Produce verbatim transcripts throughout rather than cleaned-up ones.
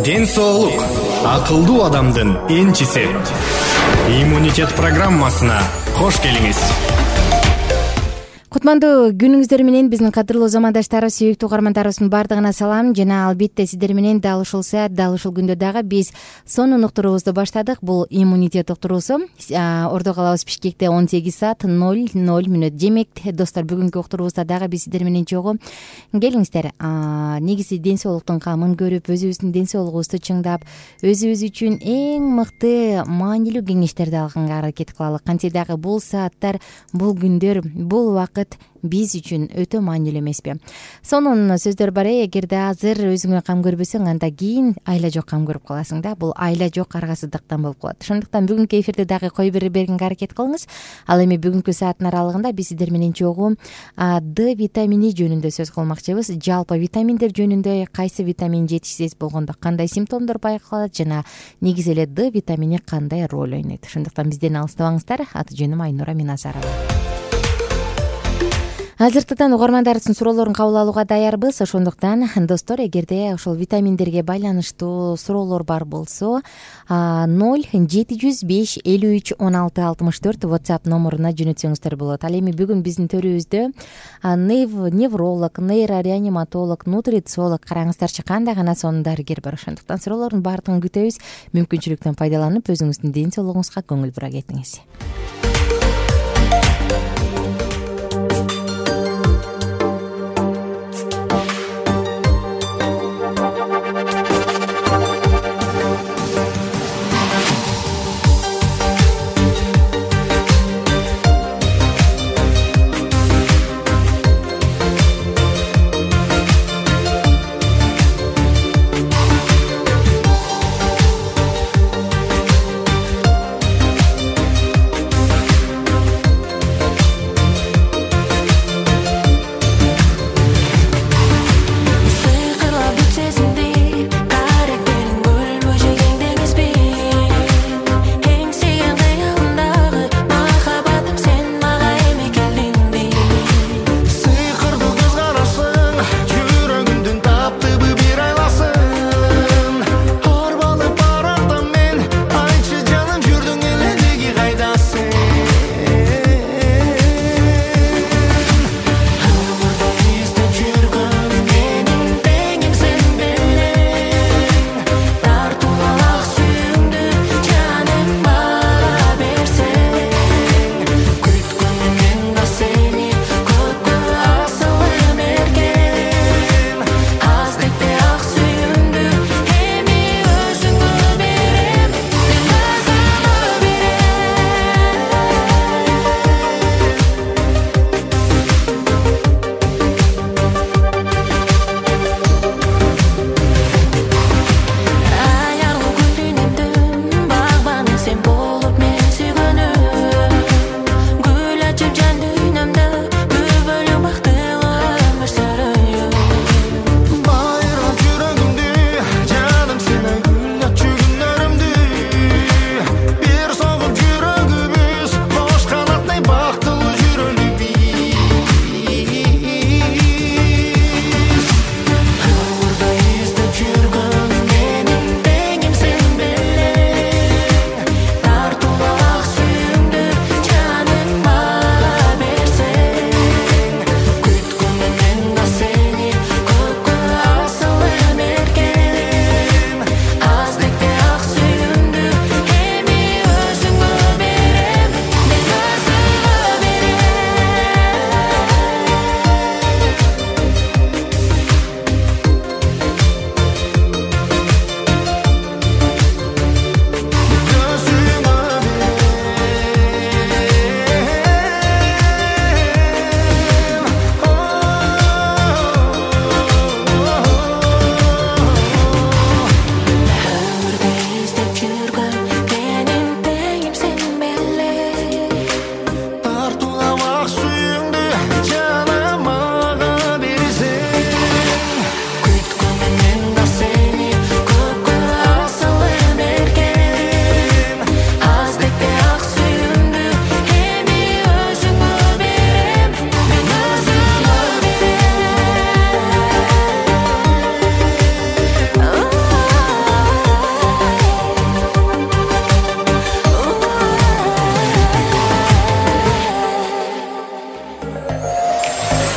Ден соолук акылдуу адамдын энчиси. Иммунитет программасына кош келиңиз. Кутмандуу күнүңүздөр менен биздин кадырлуу замандаштарыбыз, сүйүктүү угармандарыбыздын баардыгына салам. Жана албетте сиздер менен дал ушул саат, дал ушул күндө дагы биз сонун уктуруубузду баштадык. Бул иммунитет уктуруусу. Ордо калабыз Бишкекте он сегиз саат ноль ноль мүнөт. Демек, достор, бүгүнкү уктуруубузда дагы биз сиздер менен чогуу келиңиздер. Негизи ден соолуктун камын көрүп, өзүбүздүн ден соолугубузду чыңдап, өзүбүз үчүн эң мыкты маанилүү кеңештерди алганга аракет кылалы. Кантсе дагы бул сааттар, бул күндөр, бул убакыт биз үчүн өтө маанилүү эмеспи? Сонун сөздөр бар. Эгерде азыр өзүңө кам көрбөсөң, анда кийин айла жок кам көрүп каласың да. Бул айла жок аргасыздыктан болуп калат. Ошондуктан бүгүнкү эфирде дагы кой берип бергенге аракет кылыңыз. Ал эми бүгүнкү сааттын аралыгында биз сиздер менен чогуу Д витамини жөнүндө сөз кылмакчыбыз. Жалпы витаминдер жөнүндө, кайсы витамин жетишсиз болгондо кандай симптомдор байкалат жана негизи эле Д витамини кандай роль ойнойт. Ошондуктан бизден алыстабаңыздар. Аты жөнүм Айнура Миназарова. Азыртыдан угармандарыбыздын суроолорун кабыл алууга даярбыз. Ошондуктан, достор, эгерде ошол витаминдерге байланыштуу суроолор бар болсо, ноль жети жүз беш элүү үч он алты алтымыш төрт WhatsApp номуруна жөнөтсөңүздөр болот. Ал эми бүгүн биздин төрүбүздө невролог, нейрореаниматолог, нутрициолог, караңыздарчы, кандай гана сонун дарыгер бар. Ошондуктан суроолордун баардыгын күтөбүз. Мүмкүнчүлүктөн пайдаланып, өзүңүздүн ден соолугуңузга көңүл бура кетиңиз.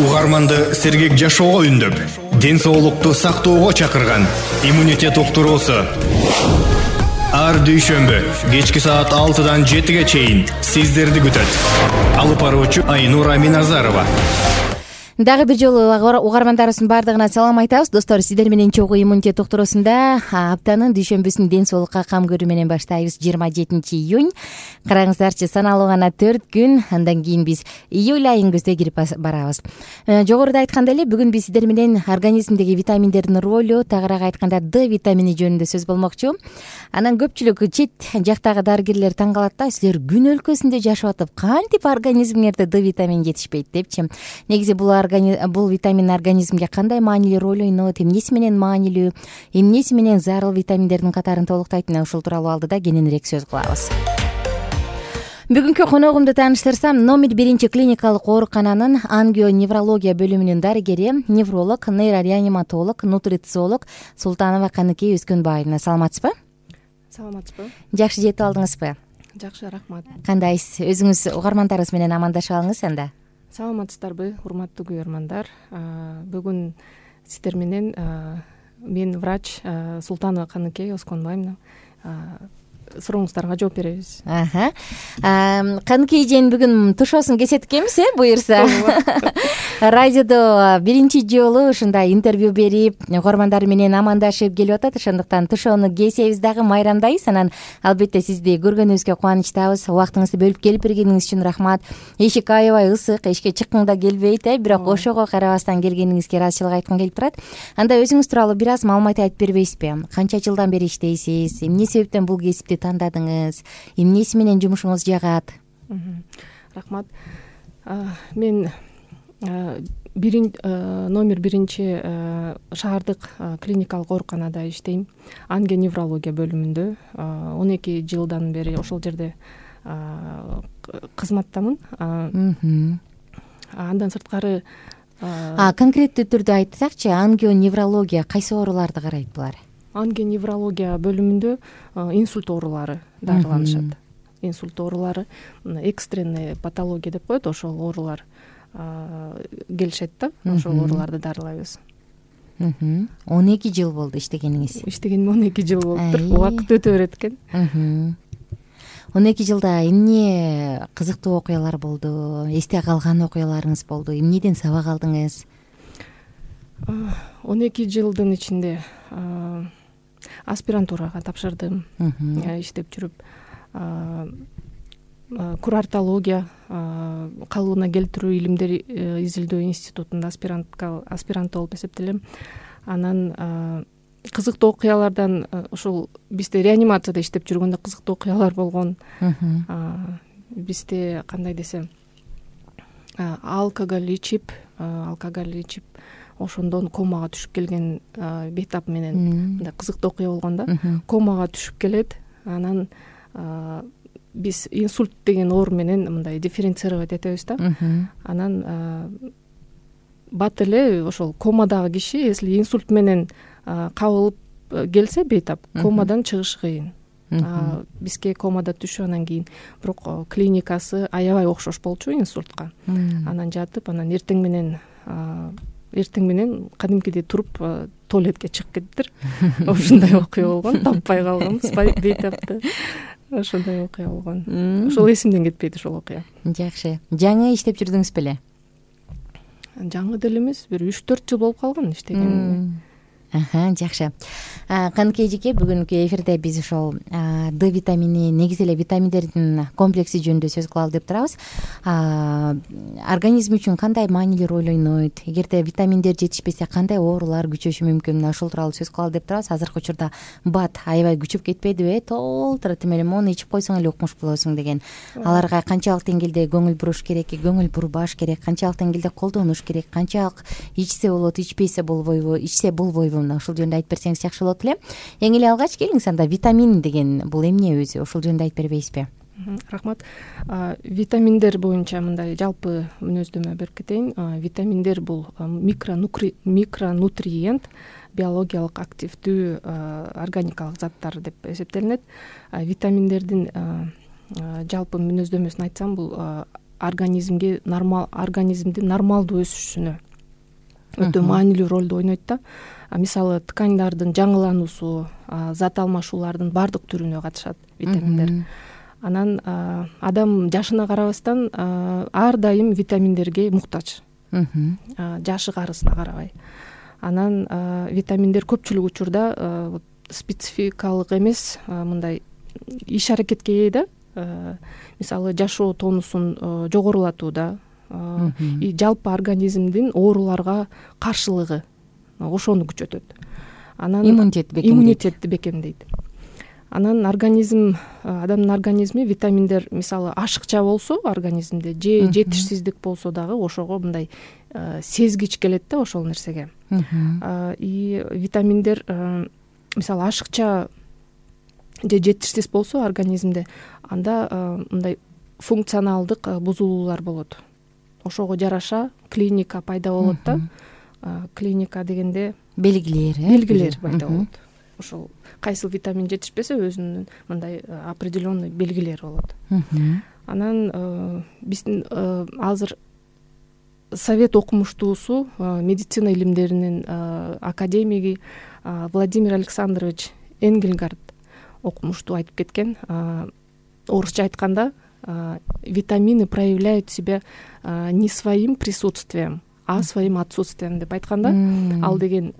угарманды сергек жашоого үндөп, ден соолукту сактоого чакырган иммунитет уктуруусу. Ар дүйшөмбү кечки саат алтыдан жетиге чейин сиздерди күтөт. Алып баруучу Айнура Миназарова. Дагы бир жолу угармандарыбыздын баардыгына салам айтабыз. Достор, сиздер менен чогуу иммунитет уктуруусунда аптанын дүйшөмбүсүн ден соолукка кам көрүү менен баштайбыз. жыйырма жетинчи июнь. Караңыздарчы, саналуу гана төрт күн, андан кийин биз июль айын көздөй кирип барабыз. Жогоруда айткандай эле, бүгүн биз сиздер менен организмдеги витаминдердин ролу, тагыраак айтканда Д витамини жөнүндө сөз болмокчу. Анан көпчүлүк чет жактагы дарыгерлер таң калат да, силер күн өлкөсүндө жашап атып, кантип организмиңерде Д витамини жетишпейт депчи. Негизи бул бул витамин организмге кандай маанилүү роль ойнойт, эмнеси менен маанилүү, эмнеси менен зарыл витаминдердин катарын толуктайт, мына ушул тууралуу алдыда кененирээк сөз кылабыз. Бүгүнкү коногумду тааныштырсам, номер биринчи клиникалык оорукананын ангионеврология бөлүмүнүн дарыгери, невролог, нейрореаниматолог, нутрициолог Султанова Каныкей Өскөнбаевна. Саламатсызбы? Саламатсызбы. Жакшы жетип алдыңызбы? Жакшы, рахмат. Кандайсыз? Өзүңүз угармандарыбыз менен амандашып алыңыз анда. Саламатсыздарбы, урматтуу көрөрмандар. Бүгүн сиздер менен мен врач Султанова Каныкей Өскөнбаевна сурооңуздарга жооп беребиз. Каныкей эженин бүгүн тушоосун кесет экенбиз, э, буюрса. Радиодо биринчи жолу ушундай интервью берип, угармандар менен амандашып келип атат. Ошондуктан тушоону кесебиз дагы, майрамдайбыз. Анан албетте сизди көргөнүбүзгө кубанычтабыз. Убактыңызды бөлүп келип бергениңиз үчүн рахмат. Эшик аябай ысык, эшикке чыккыңда келбейт, э, бирок ошого карабастан келгениңизге ыраазычылык айткым келип турат. Анда өзүңүз тууралуу бир аз маалымат айтып бербейсизби? Канча жылдан бери иштейсиз? Эмне себептен бул кесипти тандадыңыз? Эмнеси менен жумушуңуз жагат? Рахмат. Мен бирин номер биринчи шаардык клиникалык ооруканада иштейм. Ангионеврология бөлүмүндө он эки жылдан бери ошол жерде кызматтамын. Андан сырткары конкреттүү түрдө айтсакчы, ангионеврология кайсы ооруларды карайт булар? Ангионеврология бөлүмүндө инсульт оорулары дарыланышат. Инсульт оорулары, экстренный патология деп коет, ошол оорулар келишет да, ошол ооруларды дарылайбыз. он эки жыл болду иштегениңиз. Иштегениме он эки жыл болуптур. Убакыт өтө берет экен. он эки жылда эмне кызыктуу окуялар болду? Эсте калган окуяларыңыз болду? Эмнеден сабак алдыңыз? он эки жылдын ичинде аспирантурага тапшырдым. Иштеп жүрүп курортология, калыбына келтирүү илимдери изилдөө институтунда аспирантка аспирант болуп эсептелем. Анан кызыктуу окуялардан ушул бизде реанимацияда иштеп жүргөндө кызыктуу окуялар болгон. Бизде кандай десем, алкоголь ичип, алкоголь ичип ошондон комага түшүп келген бейтап менен мындай кызыктуу окуя болгон да. Комага түшүп келет. Анан биз инсульт деген оору менен мындай дифференцировать этебиз да. Анан бат эле ошол комадагы киши, если инсульт менен кабылып келсе бейтап, комадан чыгыш кыйын. Бизге комада түшүп, анан кийин бирок клиникасы аябай окшош болчу инсультка. Анан жатып, анан эртең менен эртең менен кадимкидей туруп туалетке чыгып кетиптир. Ошондой окуя болгон, таппай калганбыз бейтапты. Ошондой окуя болгон. Ошол эсимден кетпейт ошол окуя. Жакшы. Жаңы иштеп жүрдүңүз беле? Жаңы деле эмес, бир үч төрт жыл болуп калган иштегениме. Жакшы. Каныкей эжеке, бүгүнкү эфирде биз ошол Д витамини, негизи эле витаминдердин комплекси жөнүндө сөз кылалы деп турабыз. Организм үчүн кандай маанилүү роль ойнойт? Эгерде витаминдер жетишпесе кандай оорулар күчөшү мүмкүн? Ошол тууралуу сөз кылалы деп турабыз. Азыркы учурда бат аябай күчүп кетпедиби? Толтура тим эле мону ичип койсоң эле укмуш болосуң деген. Аларга канчалык деңгээлде көңүл буруш керек, көңүл бурбаш керек, канчалык деңгээлде колдонуш керек, канчалык ичсе болот, ичпесе болбойбу, ичсе болбойбу? Ошол жөнүндө айтып берсеңиз жакшы болот эле. Эң эле алгач келиңиз, анда витамин деген бул эмне өзү? Ошол жөнүндө айтып бербейсизби? Рахмат. Витаминдер боюнча мындай жалпы мүнөздөмө берип кетейин. Витаминдер бул микронутриент, биологиялык активдүү органикалык заттар деп эсептелинет. Витаминдердин жалпы мүнөздөмөсүн айтсам, бул организмге нормал организмдин нормалдуу өсүшүнө өтө маанилүү ролду ойнойт да. Мисалы тканьдардын жаңылануусу, зат алмашуулардын баардык түрүнө катышат витаминдер. Анан адам жашына карабастан ар дайым витаминдерге муктаж, жашы карысына карабай. Анан витаминдер көпчүлүк учурда спецификалык эмес, мындай иш аракетке ээ да. Мисалы жашоо тонусун жогорулатууда, и жалпы организмдин ооруларга каршылыгы ошону күчөтөт. Анан иммунитет бекемдейт. Иммунитетти бекемдейт. Анан организм, адамдын организми витаминдер мисалы ашыкча болсо организмде же жетишсиздик болсо дагы ошого мындай сезгич келет да ошол нерсеге. И витаминдер мисалы ашыкча же жетишсиз болсо организмде, анда мындай функционалдык бузулуулар болот. Ошого жараша клиника пайда болот да. Клиника дегенде белгилер, белгилер пайда болот. Ошол кайсыл витамин жетишпесе өзүнүн мындай определенный белгилери болот. Анан биздин азыр совет окумуштуусу, медицина илимдеринин академиги Владимир Александрович Энгельгард окумуштуу айтып кеткен. Орусча айтканда витамины проявляют себя не своим присутствием, а своим отсутствием деп айтканда, ал деген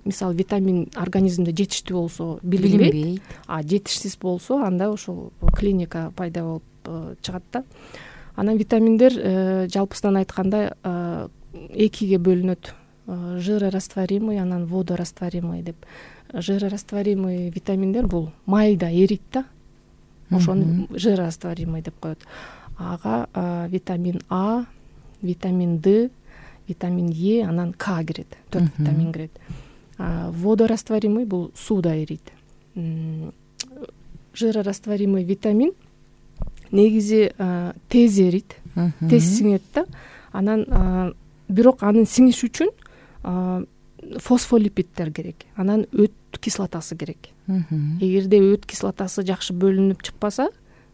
мисалы витамин организмде жетиштүү болсо билинбейт, а жетишсиз болсо анда ошол клиника пайда болуп чыгат да. Анан витаминдер жалпысынан айтканда экиге бөлүнөт. Жирорастворимый, анан водорастворимый деп. Жирорастворимый витаминдер бул майда эрийт да. Ошону жирорастворимый деп коет. Ага витамин А, витамин Д, витамин Е, анан К кирет. Төрт витамин кирет. Водорастворимый бул сууда эрийт. Жирорастворимый витамин негизи тез эрийт, тез сиңет да. Анан бирок анын сиңиш үчүн фосфолипиддер керек. Анан өт кислотасы керек. Эгерде өт кислотасы жакшы бөлүнүп чыкпаса,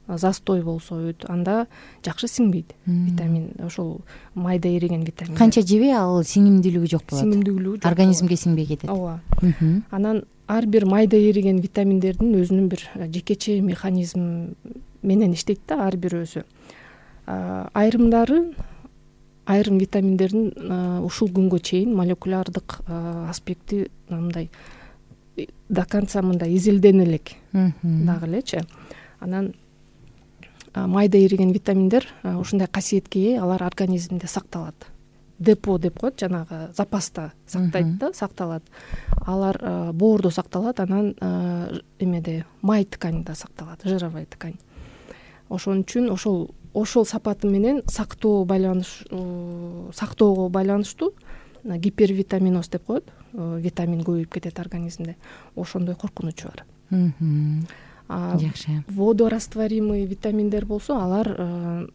застой болсо өт, анда жакшы сиңбейт витамин. Ошол майда эриген витамин. Канча жебей ал сиңимдүүлүгү жок болот. Сиңимдүүлүгү жок. Организмге сиңбей кетет. Ооба. Анан ар бир майда эриген витаминдердин өзүнүн бир жекече механизм менен иштейт да ар бирөөсү. Айрымдары айрым витаминдердин ушул күнгө чейин молекулярдык аспекти мындай до конца мындай изилдене элек дагы элечи. Анан майда эриген витаминдер ушундай касиетке ээ, алар организмде сакталат. Депо деп коет, жанагы запаста сактайт да, сакталат. Алар боордо сакталат, анан эмеде май тканьда сакталат, жировая ткань. Ошон үчүн ошол ошол сапаты менен сактоо байланыш сактоого байланыштуу гипервитаминоз деп коет, витамин көбөйүп кетет организмде. Ошондой коркунучу бар. Жакшы. Водорастворимый витаминдер болсо, алар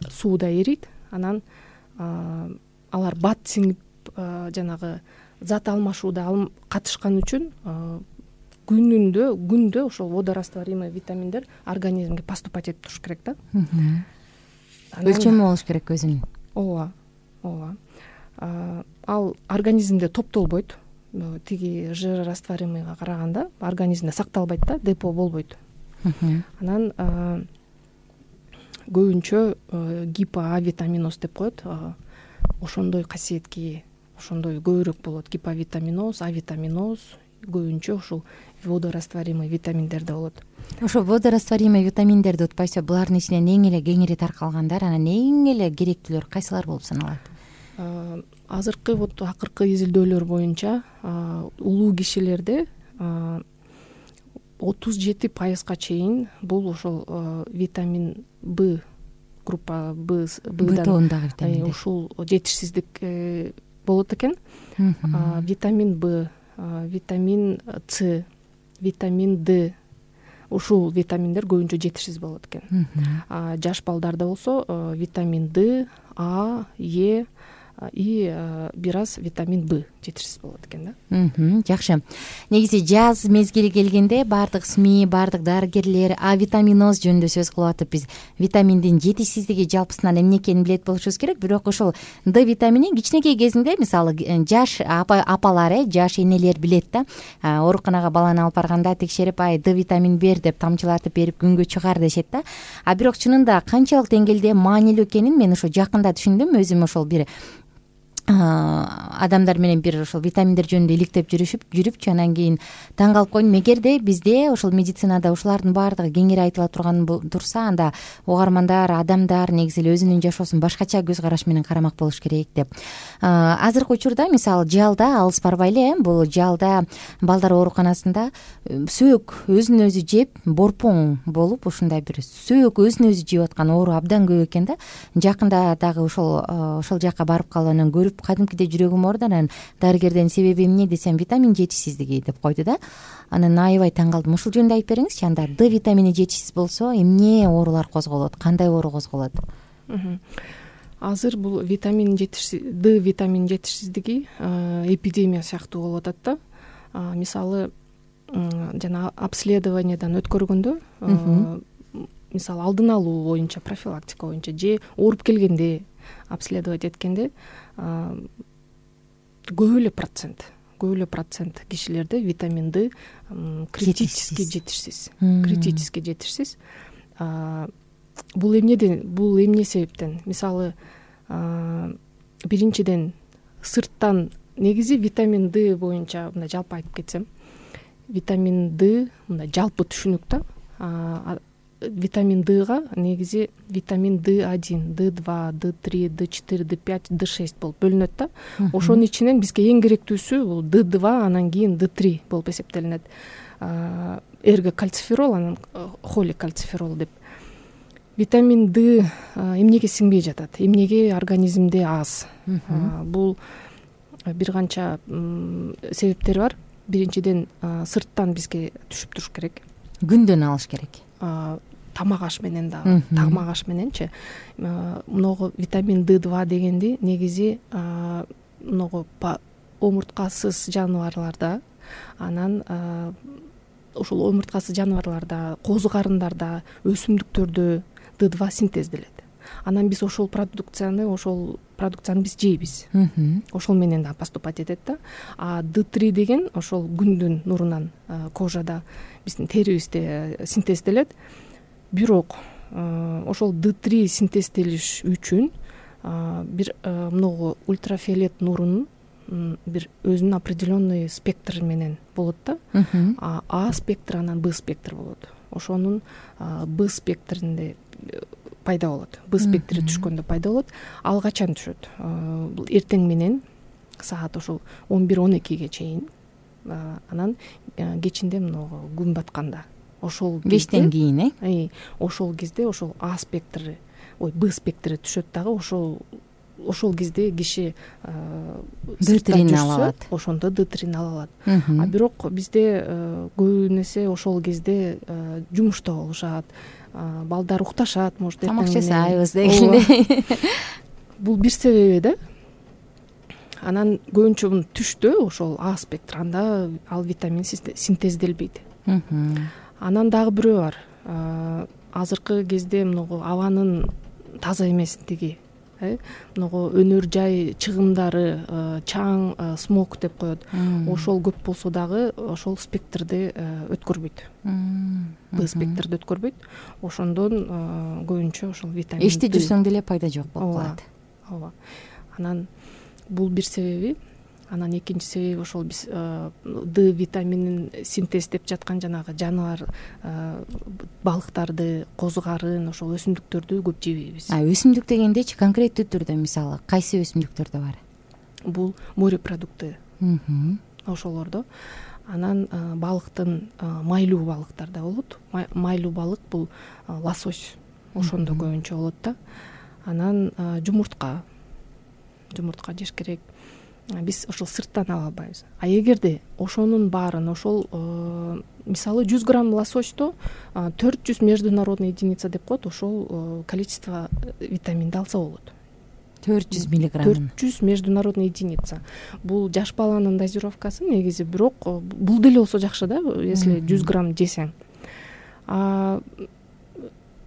сууда эрийт, анан алар бат сиңип жанагы зат алмашууда катышкан үчүн күнүндө күндө ошол водорастворимый витаминдер организмге поступать этип туруш керек да. Өлчөмү болуш керек өзүнүн. Ооба, ооба. Ал организмде топтолбойт. Тиги жирорастворимыйга караганда организмде сакталбайт да, депо болбойт. Анан көбүнчө гипоа витаминоз деп коет. Ошондой касиетке ээ, ошондой көбүрөөк болот. Гиповитаминоз, авитаминоз көбүнчө ушул водорастворимый витаминдерде болот. Ошо водорастворимый витаминдерди утпайсызбы, булардын ичинен эң эле кеңири таркалгандар, анан эң эле керектүүлөр кайсылар болуп саналат? Азыркы вот акыркы изилдөөлөр боюнча улуу кишилерде отуз жети пайызга чейин бул ошол витамин Б, группа Б тобундагы витамин ушул жетишсиздик болот экен. Витамин Б, витамин С, витамин Д, ушул витаминдер көбүнчө жетишсиз болот экен. Жаш балдарда болсо витамин Д, А, Е, и бир аз витамин Б жетишсиз болот экен да. Жакшы. Негизи жаз мезгили келгенде баардык СМИ, баардык дарыгерлер А витаминоз жөнүндө сөз кылып атып, биз витаминдин жетишсиздиги жалпысынан эмне экенин билет болушубуз керек. Бирок ошол Д витамини кичинекей кезинде, мисалы жаш апалар, э жаш энелер билет да, ооруканага баланы алып барганда текшерип, ай Д витамин бер деп тамчылатып берип күнгө чыгар дешет да. А бирок чынында канчалык деңгээлде маанилүү экенин мен ошо жакында түшүндүм. Өзүм ошол бир адамдар менен бир ошол витаминдер жөнүндө иликтеп жүрүшүп жүрүпчү, анан кийин таң калып койдум. Эгерде бизде ошол медицинада ушулардын баардыгы кеңири айтыла турган турса, анда угармандар, адамдар негизи эле өзүнүн жашоосун башкача көз караш менен карамак болуш керек деп. Азыркы учурда мисалы жалда алыс барбай эле, бул жалда балдар ооруканасында сөөк өзүн өзү жеп борпоң болуп, ушундай бир сөөк өзүн өзү жеп аткан оору абдан көп экен да. Жакында дагы ошол ошол жака барып калып анан көрүп кадимкидей жүрөгүм ооруду. Анан дарыгерден себеби эмне десем, витамин жетишсиздиги деп койду да. Анан аябай таң калдым. Ушул жөнүндө айтып бериңизчи, анда Д витамини жетишсиз болсо эмне оорулар козголот, кандай оору козголот? Азыр бул витамин жетишсиз Д витамин жетишсиздиги эпидемия сыяктуу болуп атат да. Мисалы жана обследованиядан өткөргөндө, мисалы алдын алуу боюнча, профилактика боюнча же ооруп келгенде обследовать эткенде көп эле процент көп эле процент кишилерде витамин Д критически жетишсиз критически жетишсиз. Бул эмнеден бул эмне себептен? Мисалы биринчиден сырттан, негизи витамин Д боюнча мындай жалпы айтып кетсем, витамин Д мындай жалпы түшүнүк да. Витамин Дга негизи витамин Д один, Д два, Д три, Д четыре, Д пять, Д шесть болуп бөлүнөт да. Ошонун ичинен бизге эң керектүүсү бул Д два, анан кийин Д три болуп эсептелинет. Эргокальциферол, анан холикальциферол деп. Витамин Д эмнеге сиңбей жатат, эмнеге организмде аз? Бул бир канча себептери бар. Биринчиден сырттан бизге түшүп туруш керек. Күндөн алыш керек. Тамак аш менен да, тамак аш мененчи. Многу витамин Д два дегенди негизи многу омурткасыз жаныбарларда, анан ошол омурткасыз жаныбарларда, козу карындарда, өсүмдүктөрдө Д два синтезделет. Анан биз ошол продукцияны, ошол продукцияны биз жейбиз. Ошол менен да поступать этет да. А Д три деген ошол күндүн нурунан кожада, биздин терибизде синтезделет. Бирок ошол Д три синтезделиш үчүн бир многу ультрафиолет нурунун бир өзүнүн определенный спектр менен болот да. А спектр, анан Б спектр болот. Ошонун Б спектринде пайда болот. Б спектри түшкөндө пайда болот. Ал качан түшөт? Бул эртең менен саат ошол он бир он экиге чейин, анан кечинде многу күн батканда. Ошол бештен кийин, э? Ошол кезде ошол А спектри, ой, Б спектри түшөт дагы. Ошол ошол кезде киши Д трини ала алат. Ошондо Д трини ала алат. А бирок бизде көбүн эсе ошол кезде жумушта болушат, балдар укташат, может, тамак жасайбыз дегендей. Бул бир себеби да. Анан көбүнчө түштө ошол А спектр, анда ал витамин синтезделбейт. Анан дагы бирөө бар. Азыркы кезде многу абанын таза эместиги, многу өнөр жай чыгымдары, чаң, смог деп коет. Ошол көп болсо дагы ошол спектрди өткөрбөйт. Б спектрди өткөрбөйт. Ошондон көбүнчө ошол витамин эчти жүрсөң деле пайда жок болуп калат. Ооба. Анан бул бир себеби. Анан экинчи себеби ошол биз Д витаминин синтездеп жаткан жанагы жаныбар балыктарды, козу карын, ошол өсүмдүктөрдү көп жебейбиз. А өсүмдүк дегендечи конкреттүү түрдө мисалы кайсы өсүмдүктөрдө бар? Бул морепродукты. Ошолордо. Анан балыктын майлуу балыктарда болот. Майлуу балык бул лосось. Ошондо көбүнчө болот да. Анан жумуртка. Жумуртка жеш керек. Биз ошол сырттан ала албайбыз. А эгерде ошонун баарын, ошол мисалы жүз грамм лососьто төрт жүз международный единица деп коет, ошол количество витаминди алса болот. төрт жүз миллиграмм төрт жүз международный единица. Бул жаш баланын дозировкасы негизи, бирок бул деле болсо жакшы да, если жүз грамм жесең.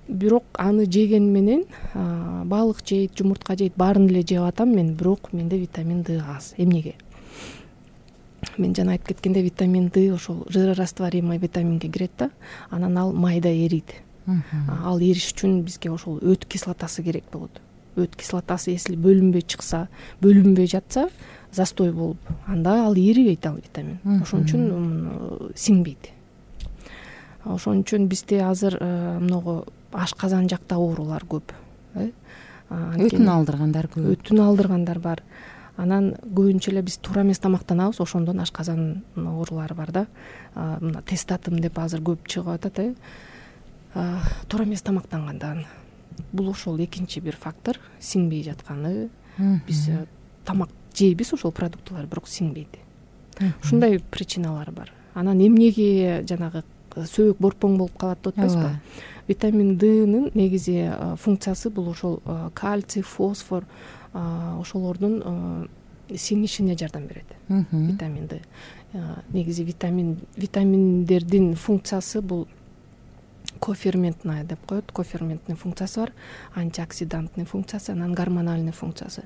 Бирок аны жеген менен балык жейт, жумуртка жейт, баарын эле жеп атам мен, бирок менде витамин Д аз. Эмнеге? Мен жана айтып кеткенде, витамин Д ошол жирорастворимый витаминге кирет да, анан ал майда эрийт. Ал эриш үчүн бизге ошол өт кислотасы керек болот. Өт кислотасы если бөлүнбөй чыкса, бөлүнбөй жатса, застой болуп, анда ал эрибейт, ал витамин. Ошон үчүн сиңбейт. Ошон үчүн бизде азыр многу ашказан жакта оорулар көп. Өтүн алдыргандар көп. Өтүн алдыргандар бар. Анан көбүнчө эле биз туура эмес тамактанабыз, ошондон ашказан оорулары бар да. Мына тестатым деп азыр көп чыгып атат, э. Туура эмес тамактангандан. Бул ошол экинчи бир фактор, сиңбей жатканы. Биз тамак жейбиз ошол продуктылар, бирок сиңбейт. Ушундай причиналар бар. Анан эмнеге жанагы сөөгүк борпоң болуп калат деп атпайсызбы? Витамин Д'нын негизи функциясы бул ошол кальций, фосфор, ошолордун сиңишине жардам берет. Витамин Д. Негизи витамин витаминдердин функциясы бул коферментная деп коет. Коферментный функциясы бар, антиоксидантный функциясы, анан гормональный функциясы.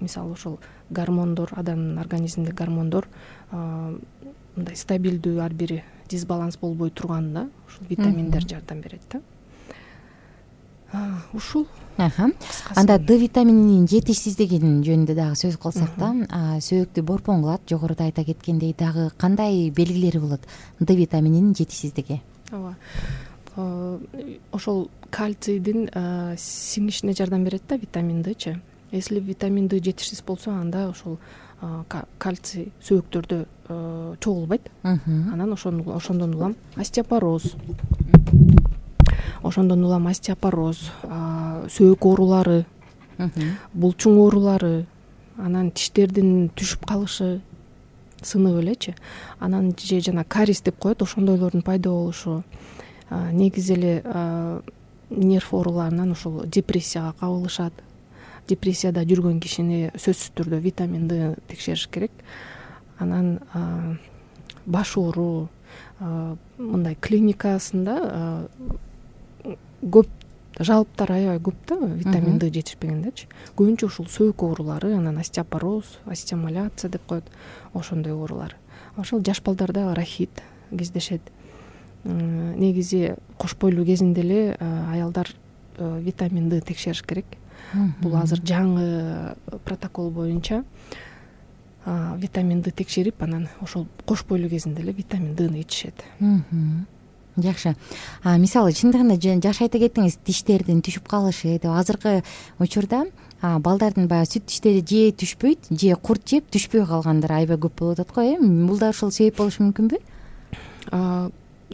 Мисалы ошол гормондор, адамдын организминдеги гормондор мындай стабилдүү, ар бири дисбаланс болбой турганда ушул витаминдер жардам берет да. Ушул. Анда Д витамининин жетишсиздигин жөнүндө дагы сөз кылсак да, сөөктү борпоң кылат. Жогоруда айта кеткендей, дагы кандай белгилери болот Д витамининин жетишсиздиги? Ооба. Ошол кальцийдин сиңишине жардам берет да витамин Дчи. Если витамин Д жетишсиз болсо, анда ошол кальций сөөктөрдө чогулбайт. Анан ошондон улам остеопороз. Ошондон улам остеопороз, сөөк оорулары, булчуң оорулары, анан тиштердин түшүп калышы, сынып элечи. Анан же жана кариес деп коет, ошондойлордун пайда болушу. Негизи эле нерв ооруларынан ошол депрессияга кабылышат. Депрессияда жүргөн кишини сөзсүз түрдө витамин Д текшериш керек. Анан баш оору, мындай клиникасында көп жалоптар аябай көп да, витамин Д жетишпегендечи. Көбүнчө ушул сөөк оорулары, анан остеопороз, остеомаляция деп коет, ошондой оорулар. Ошол жаш балдарда рахит кездешет. Негизи кош бойлуу кезинде эле аялдар витамин Д текшериш керек. Бул азыр жаңы протокол боюнча витамин Д текшерип, анан ошол кош бойлуу кезинде эле витамин Дны ичишет. Жакшы. Мисалы, чындыгында жаш айта кеттиңиз, тиштердин түшүп калышы деп. Азыркы учурда балдардын баягы сүт тиштери же түшпөйт, же курт жеп түшпөй калгандар аябай көп болуп атат го, э? Бул да ошол себеп болушу мүмкүнбү?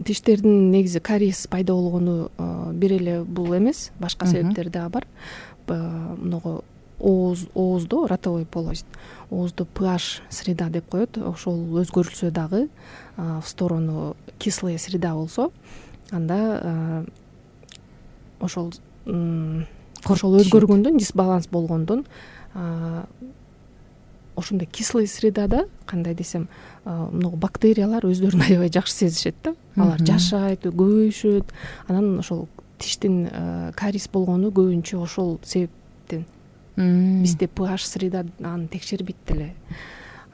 Тиштердин негизи кариес пайда болгону бир эле бул эмес, башка себептер дагы бар. Много ооз, ооздо, ротовой полость, ооздо pH среда деп коет, ошол өзгөрүлсө дагы в сторону кислая среда болсо, анда ошол ошол өзгөргөндөн, дисбаланс болгондон, ошондой кислый средада, кандай десем, много бактериялар өздөрүн аябай жакшы сезишет да. Алар жашайт, көбөйүшөт. Анан ошол тиштин кариес болгону көбүнчө ошол себептен. Бизде pH среда аны текшербейт деле.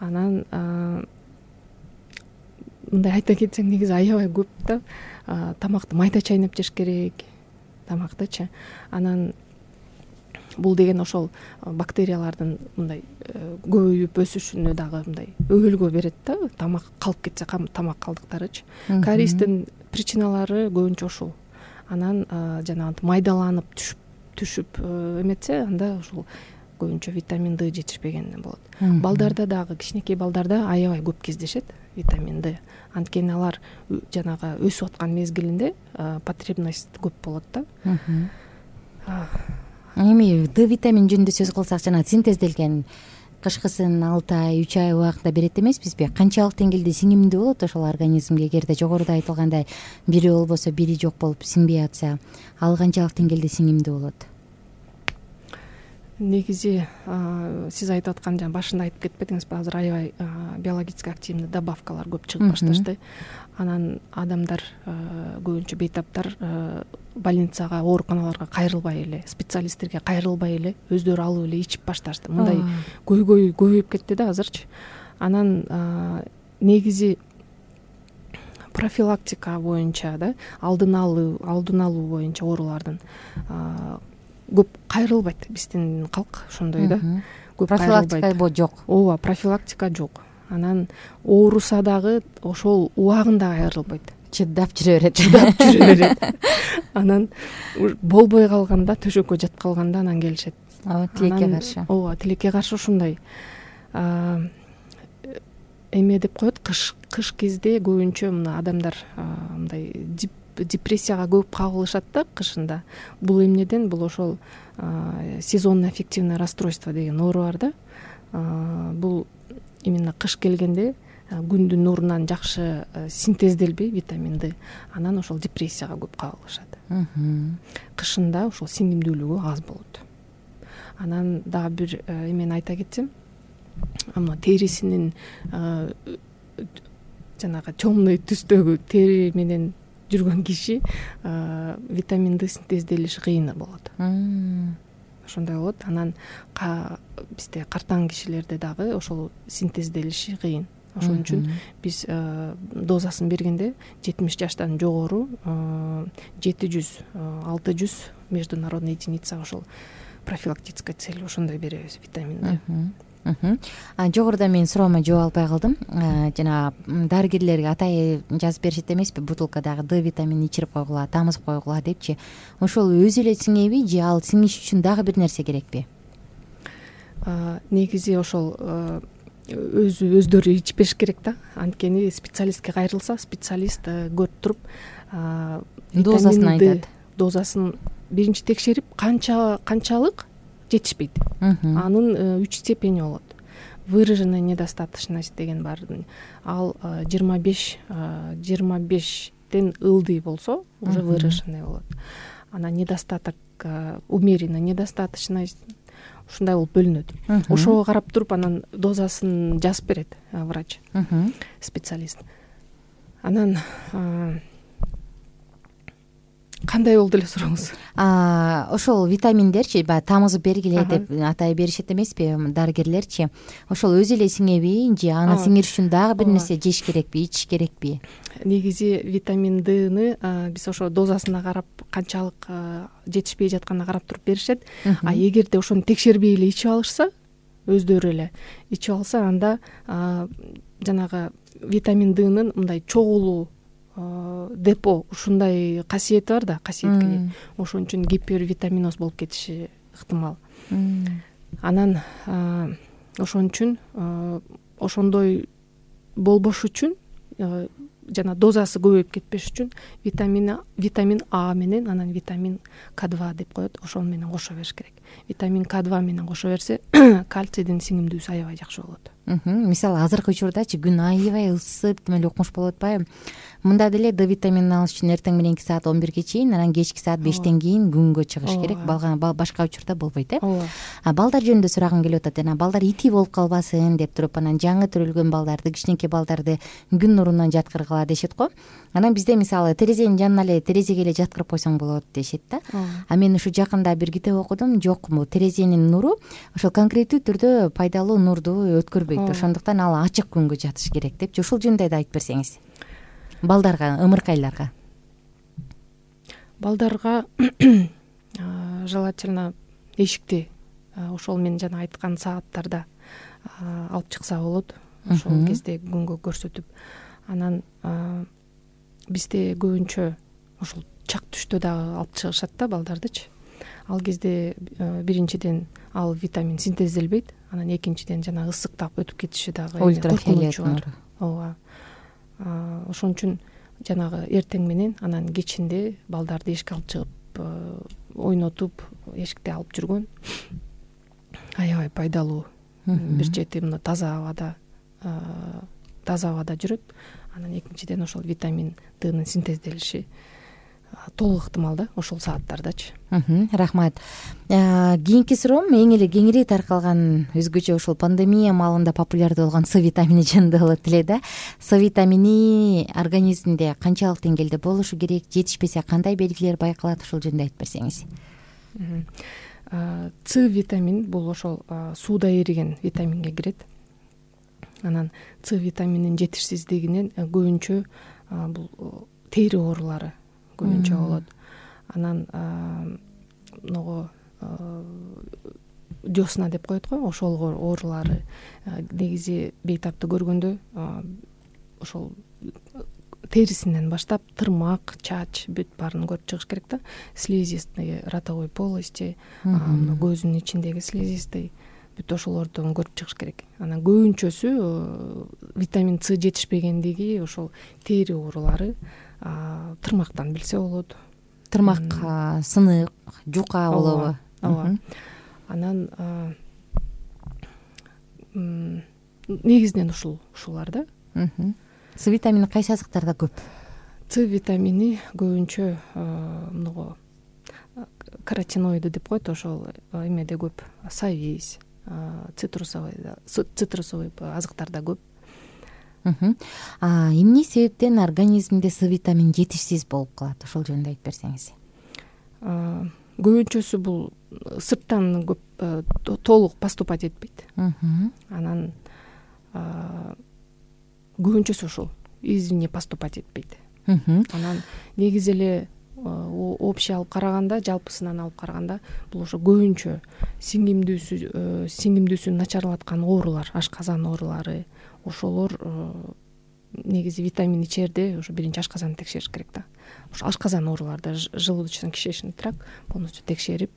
Анан мындай айта кетсең, негизи аябай көп да. Тамакты майда чайнап жеш керек, тамактычы. Анан бул деген ошол бактериялардын мындай көбөйүп өсүшүнө дагы мындай өбөлгө берет да. Тамак калып кетсе, тамак калдыктарычы. Кариестин причиналары көбүнчө ошол. Анан жанагы майдаланып түшүп түшүп эметсе, анда ошол көбүнчө витамин Д жетишпегенден болот. Балдарда дагы, кичинекей балдарда аябай көп кездешет витамин Д. Анткени алар жанагы өсүп аткан мезгилинде потребность көп болот да. Эми Д витамин жөнүндө сөз кылсак, жана синтезделген кышкысын алты ай, үч ай убакытта берет эмеспизби? Канчалык деңгээлде сиңимдүү болот ошол организмге? Эгерде жогоруда айтылгандай бири болбосо, бири жок болуп сиңбей атса, ал канчалык деңгээлде сиңимдүү болот? негизи сиз айтып аткан жана башында айтып кетпедиңизби, азыр аябай биологически активный добавкалар көп чыгып башташты. Анан адамдар көбүнчө бейтаптар больницага, ооруканаларга кайрылбай эле, специалисттерге кайрылбай эле өздөрү алып эле ичип башташты. Мындай көйгөй көбөйүп кетти да азырчы. Анан негизи профилактика боюнча да, алдын алуу алдын алуу боюнча оорулардын көп кайрылбайт биздин калк, ошондой да. Көп профилактика жок. Ооба, профилактика жок. Анан ооруса дагы ошол убагында кайрылбайт. Чыдап жүрө берет. Чыдап жүрө берет. Анан болбой калганда, төшөккө жатып калганда анан келишет. Ооба, тилекке каршы. Ооба, тилекке каршы ушундай. Эме деп коет, кыш кыш кезде көбүнчө мына адамдар мындай депрессияга көп кабылышат да кышында. Бул эмнеден? Бул ошол сезонно аффективное расстройство деген оору бар да. Бул именно кыш келгенде күндүн нурунан жакшы синтезделбей витамин Д, анан ошол депрессияга көп кабылышат. Кышында ошол сиңимдүүлүгү аз болот. Анан дагы бир эмени айта кетсем, мына терисинин жанагы темный түстөгү тери менен жүргөн киши витамин Д синтезделиши кыйын болот. Ошондой болот. Анан бизде картаң кишилерде дагы ошол синтезделиши кыйын. Ошон үчүн биз дозасын бергенде жетимиш жаштан жогору жети жүз алты жүз международный единица ошол профилактическая цель ошондой беребиз витамин Д. Жогоруда мен суроомо жооп албай калдым. Жана дарыгерлерге атайы жазып беришет эмеспи, бутылкадагы Д витаминин ичирип койгула, тамызып койгула депчи. Ошол өзү эле сиңеби же ал сиңиш үчүн дагы бир нерсе керекпи? Негизи ошол өзү өздөрү ичпеш керек да. Анткени специалистке кайрылса, специалист көрүп туруп дозасын айтат. Дозасын биринчи текшерип, канча канчалык жетишпейт. Анын үч степени болот. Выраженная недостаточность деген бар. Ал жыйырма беш жыйырма бештен ылдый болсо, уже выраженный болот. Анан недостаток, умеренно недостаточность ушундай болуп бөлүнөт. Ошого карап туруп анан дозасын жазып берет врач, специалист. Анан кандай болду эле сурооңуз? Ошол витаминдерчи баягы тамызып бергиле деп атай беришет эмеспи дарыгерлерчи? Ошол өзү эле сиңеби же аны сиңириш үчүн дагы бир нерсе жеш керекпи, ичиш керекпи? Негизи витамин Дны биз ошо дозасына карап, канчалык жетишпей жатканына карап туруп беришет. А эгерде ошону текшербей эле ичип алышса, өздөрү эле ичип алса, анда жанагы витамин Днын мындай чогулуу депо ушундай касиети бар да, касиетке. Ошон үчүн гипервитаминоз болуп кетиши ыктымал. Анан ошон үчүн ошондой болбош үчүн жана дозасы көбөйүп кетпеш үчүн витамин витамин А менен анан витамин К два деп коет, ошол менен кошо бериш керек. Витамин К два менен кошо берсе, кальцийдин сиңимдүүсү аябай жакшы болот. Мисалы азыркы учурдачы күн аябай ысып, демек укмуш болуп атпайбы? Мында деле Д витаминин алыш үчүн эртең мененки саат он бирге чейин, анан кечки саат бештен кийин күнгө чыгыш керек. Башка учурда болбойт, э? А балдар жөнүндө сурагым келип атат. Жана балдар ити болуп калбасын деп туруп, анан жаңы төрөлгөн балдарды, кичинекей балдарды күн нурунан жаткыргыла дешет го. Анан бизде мисалы терезенин жанына эле терезеге эле жаткырып койсоң болот дешет да. А мен ушу жакында бир китеп окудум, жок, бул терезенин нуру ошол конкреттүү түрдө пайдалуу нурду өткөрбөйт. Ошондуктан ал ачык күнгө жатыш керек депчи. Ушул жөнүндө да айтып берсеңиз. Балдарга, ымыркайларга. Балдарга желательно эшикти ошол мен жана айткан сааттарда алып чыкса болот. Ошол кезде күнгө көрсөтүп. Анан бизде көбүнчө ошол чак түштө дагы алып чыгышат да балдардычы. Ал кезде биринчиден ал витамин синтезделбейт, анан экинчиден жана ысыктап өтүп кетиши дагы ультрафиолет нуру. Ооба. Ошон үчүн жанагы эртең менен анан кечинде балдарды эшикке алып чыгып ойнотуп, эшикте алып жүргөн аябай пайдалуу. Бир чети мына таза абада таза абада жүрөт. Анан экинчиден ошол витамин Днын синтезделиши толук ыктымал да ошол сааттардачы. Рахмат. Кийинки суроом эң эле кеңири таркалган өзгөчө ушул пандемия маалында популярдуу болгон С витамини жөнүндө болот эле да. С витамини организмде канчалык деңгээлде болушу керек, жетишпесе кандай белгилер байкалат, ушул жөнүндө айтып берсеңиз. С витамин бул ошол сууда эриген витаминге кирет. Анан С витамининин жетишсиздигинен көбүнчө бул тери оорулары көбүнчө болот. Анан могу десна деп коет го, ошол оорулары негизи бейтапты көргөндө ошол терисинен баштап тырмак, чач, бүт баарын көрүп чыгыш керек да. Слизистый, ротовой полости, көздүн ичиндеги слизистый, бүт ошолордон көрүп чыгыш керек. Анан көбүнчөсү витамин С жетишпегендиги ошол тери оорулары, тырмактан билсе болот. Тырмак сынык, жука болобу? Ооба. Анан негизинен ушул ушулар да. С витамини кайсы азыктарда көп? С витамини көбүнчө мынго каротиноиды деп коет, ошол эмеде көп. Савиз, цитрусовый, цитрусовый азыктарда көп. Эмне себептен организмде С витамини жетишсиз болуп калат? Ошол жөнүндө айтып берсеңиз. Көбүнчөсү бул сырттан көп толук поступать этпейт. Анан көбүнчөсү ушул извне поступать этпейт. Анан негизи эле общий алып караганда, жалпысынан алып караганда бул ошо көбүнчө сиңимдүүсү сиңимдүүсүн начарлаткан оорулар, ашказан оорулары, ошолор негизи витамин ичерде ошо биринчи ашказанды текшериш керек да. Ошо ашказан ооруларда желудочно-кишечный тракт полностью текшерип,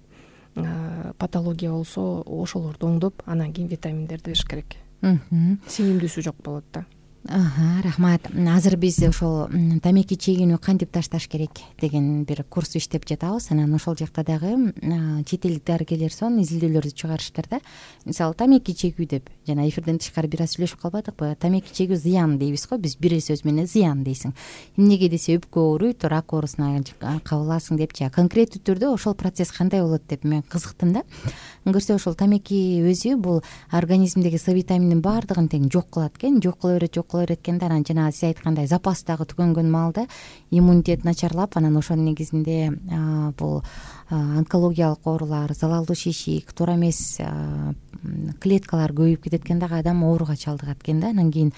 патология болсо ошолорду оңдоп, анан кийин витаминдерди бериш керек. Сиңимдүүсү жок болот да. Рахмат. Азыр биз ошол тамеки чегүүнү кантип ташташ керек деген бир курс иштеп жатабыз. Анан ошол жакта дагы чет элдик дарыгерлер сонун изилдөөлөрдү чыгарыштыр да. Мисалы тамеки чегүү деп жана эфирден тышкары бир аз сүйлөшүп калбадыкпы? Тамеки чегүү зыян дейбиз го, биз бир сөз менен зыян дейсиң. Эмнеге десе өпкө ооруйт, рак оорусуна кабыласың депчи. Конкреттүү түрдө ошол процесс кандай болот деп мен кызыктым да. Көрсө ошол тамеки өзү бул организмдеги С витамининин баардыгын тең жок кылат экен, жок кыла берет, жок кыла берет экен да. Анан жана сиз айткандай запас дагы түгөнгөн маалда иммунитет начарлап, анан ошонун негизинде бул онкологиялык оорулар, залалдуу шишик, туура эмес клеткалар көбөйүп кетет экен дагы, адам ооруга чалдыгат экен да. Анан кийин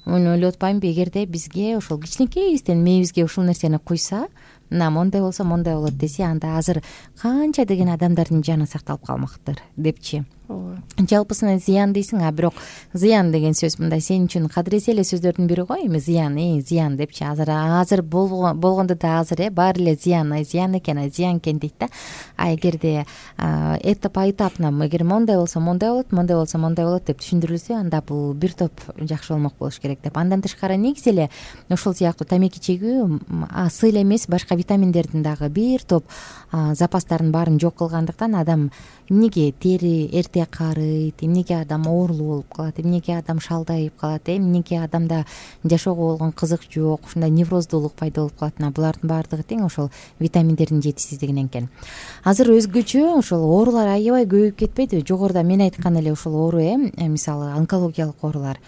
муну ойлоп атпаймынбы, эгерде бизге ошол кичинекейибизден мээбизге ушул нерсени куйса, мына мондай болсо мондай болот десе, анда азыр канча деген адамдардын жаны сакталып калмактыр депчи. Ооба. Жалпысынан зыян дейсиң, а бирок зыян деген сөз мындай сен үчүн кадыресе эле сөздөрдүн бири го, эми зыян, э, зыян депчи. Азыр азыр болгондо да азыр э баары эле зыян, ай зыян экен, ай зыян экен дейт да. А эгерде этап этапна, эгер мондай болсо мондай болот, мондай болсо мондай болот деп түшүндүрүлсө, анда бул бир топ жакшы болмок болуш керек деп. Андан тышкары негизи эле ошол сыяктуу тамеки чегүү С эле эмес, башка витаминдердин дагы бир топ запастарын баарын жок кылгандыктан адам эмнеге тери эрте карыйт, эмнеге адам оорулуу болуп калат, эмнеге адам шалдайып калат, эмнеге адамда жашоого болгон кызык жок, ушундай невроздуулук пайда болуп калат. Булардын баардыгы тең ошол витаминдердин жетишсиздигинен экен. Азыр өзгөчө ошол оорулар аябай көбөйүп кетпейдиби? Жогоруда мен айткан эле ушул оору, э мисалы онкологиялык оорулар.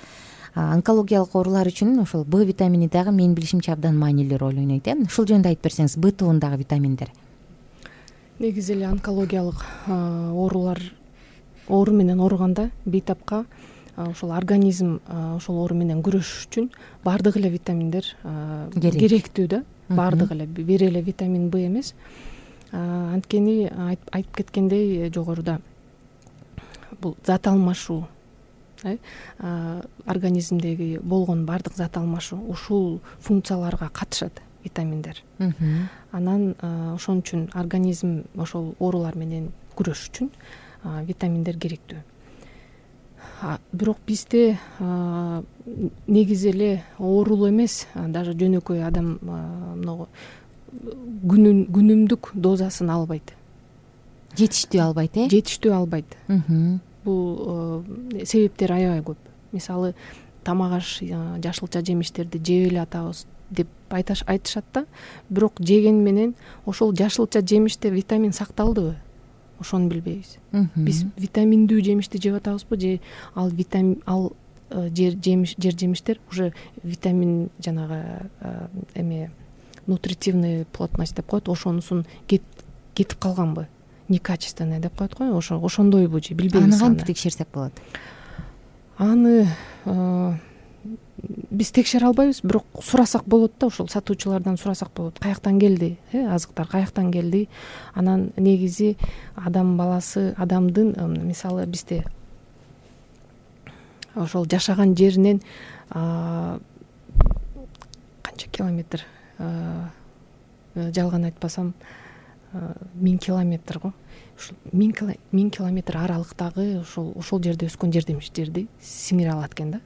Онкологиялык оорулар үчүн ошол Б витамини дагы менин билишимче абдан маанилүү роль ойнойт, э. Ушул жөнүндө айтып берсеңиз, Б тобундагы витаминдер. Негизи эле онкологиялык оорулар оору менен ооруганда бейтапка ошол организм ошол оору менен күрөшүш үчүн баардык эле витаминдер керектүү да. Баардык эле, бир эле витамин Б эмес. Анткени айтып кеткендей жогоруда бул зат алмашуу, организмдеги болгон баардык зат алмашуу ушул функцияларга катышат витаминдер. Анан ошон үчүн организм ошол оорулар менен күрөшүш үчүн витаминдер керектүү. Бирок бизде негизи эле оорулуу эмес, даже жөнөкөй адам мына күнүмдүк дозасын албайт. Жетиштүү албайт, э? Жетиштүү албайт. Бул себептери аябай көп. Мисалы, тамак аш жашылча жемиштерди жеп эле атабыз, деп айтышат да. Бирок жеген менен ошол жашылча жемиште витамин сакталдыбы, ошону билбейбиз. Биз витаминдүү жемишти жеп атабызбы же ал витамин ал жер жемиш жер жемиштер уже витамин жанагы эме нутритивный плотность деп коет, ошонусун кетип калганбы, некачественный деп коет го, ошо ошондойбу же билбейбиз. Аны кантип текшерсек болот? Аны биз текшере албайбыз, бирок сурасак болот да, ошол сатуучулардан сурасак болот. Каяктан келди, э азыктар каяктан келди? Анан негизи адам баласы, адамдын мисалы бизде ошол жашаган жеринен канча километр, жалган айтпасам миң километр го. Ушул миң километр аралыктагы ошол ошол жерде өскөн жер-жемиштерди сиңире алат экен да.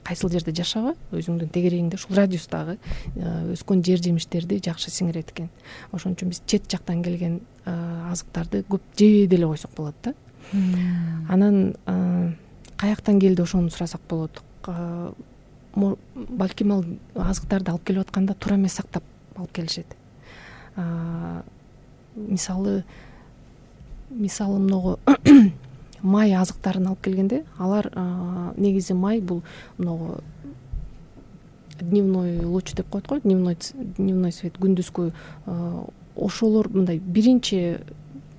Кайсыл жерде жашаба, өзүңдүн тегерегиңде ушул радиустагы өскөн жер-жемиштерди жакшы сиңирет экен. Ошон үчүн биз чет жактан келген азыктарды көп жебей деле койсок болот да. Анан каяктан келди ошону сурасак болот. Балким ал азыктарды алып келип атканда туура эмес сактап алып келишет. Мисалы мисалы многу май азыктарын алып келгенде, алар негизи май бул многу дневной луч деп коет го, дневной дневной свет, күндүзгү ошолор мындай биринчи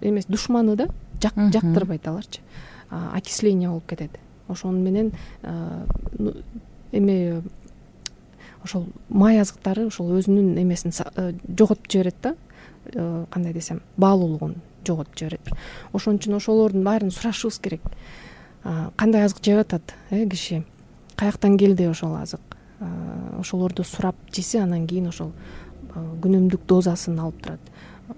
эмес душманы да, жактырбайт аларчы. Окисление болуп кетет. Ошону менен эме ошол май азыктары ошол өзүнүн эмесин жоготуп жиберет да, кандай десем, баалуулугун жоготуп жиберет. Ошон үчүн ошолордун баарын сурашыбыз керек. Кандай азык жеп атат э киши, каяктан келди ошол азык, ошолорду сурап жесе, анан кийин ошол күнүмдүк дозасын алып турат.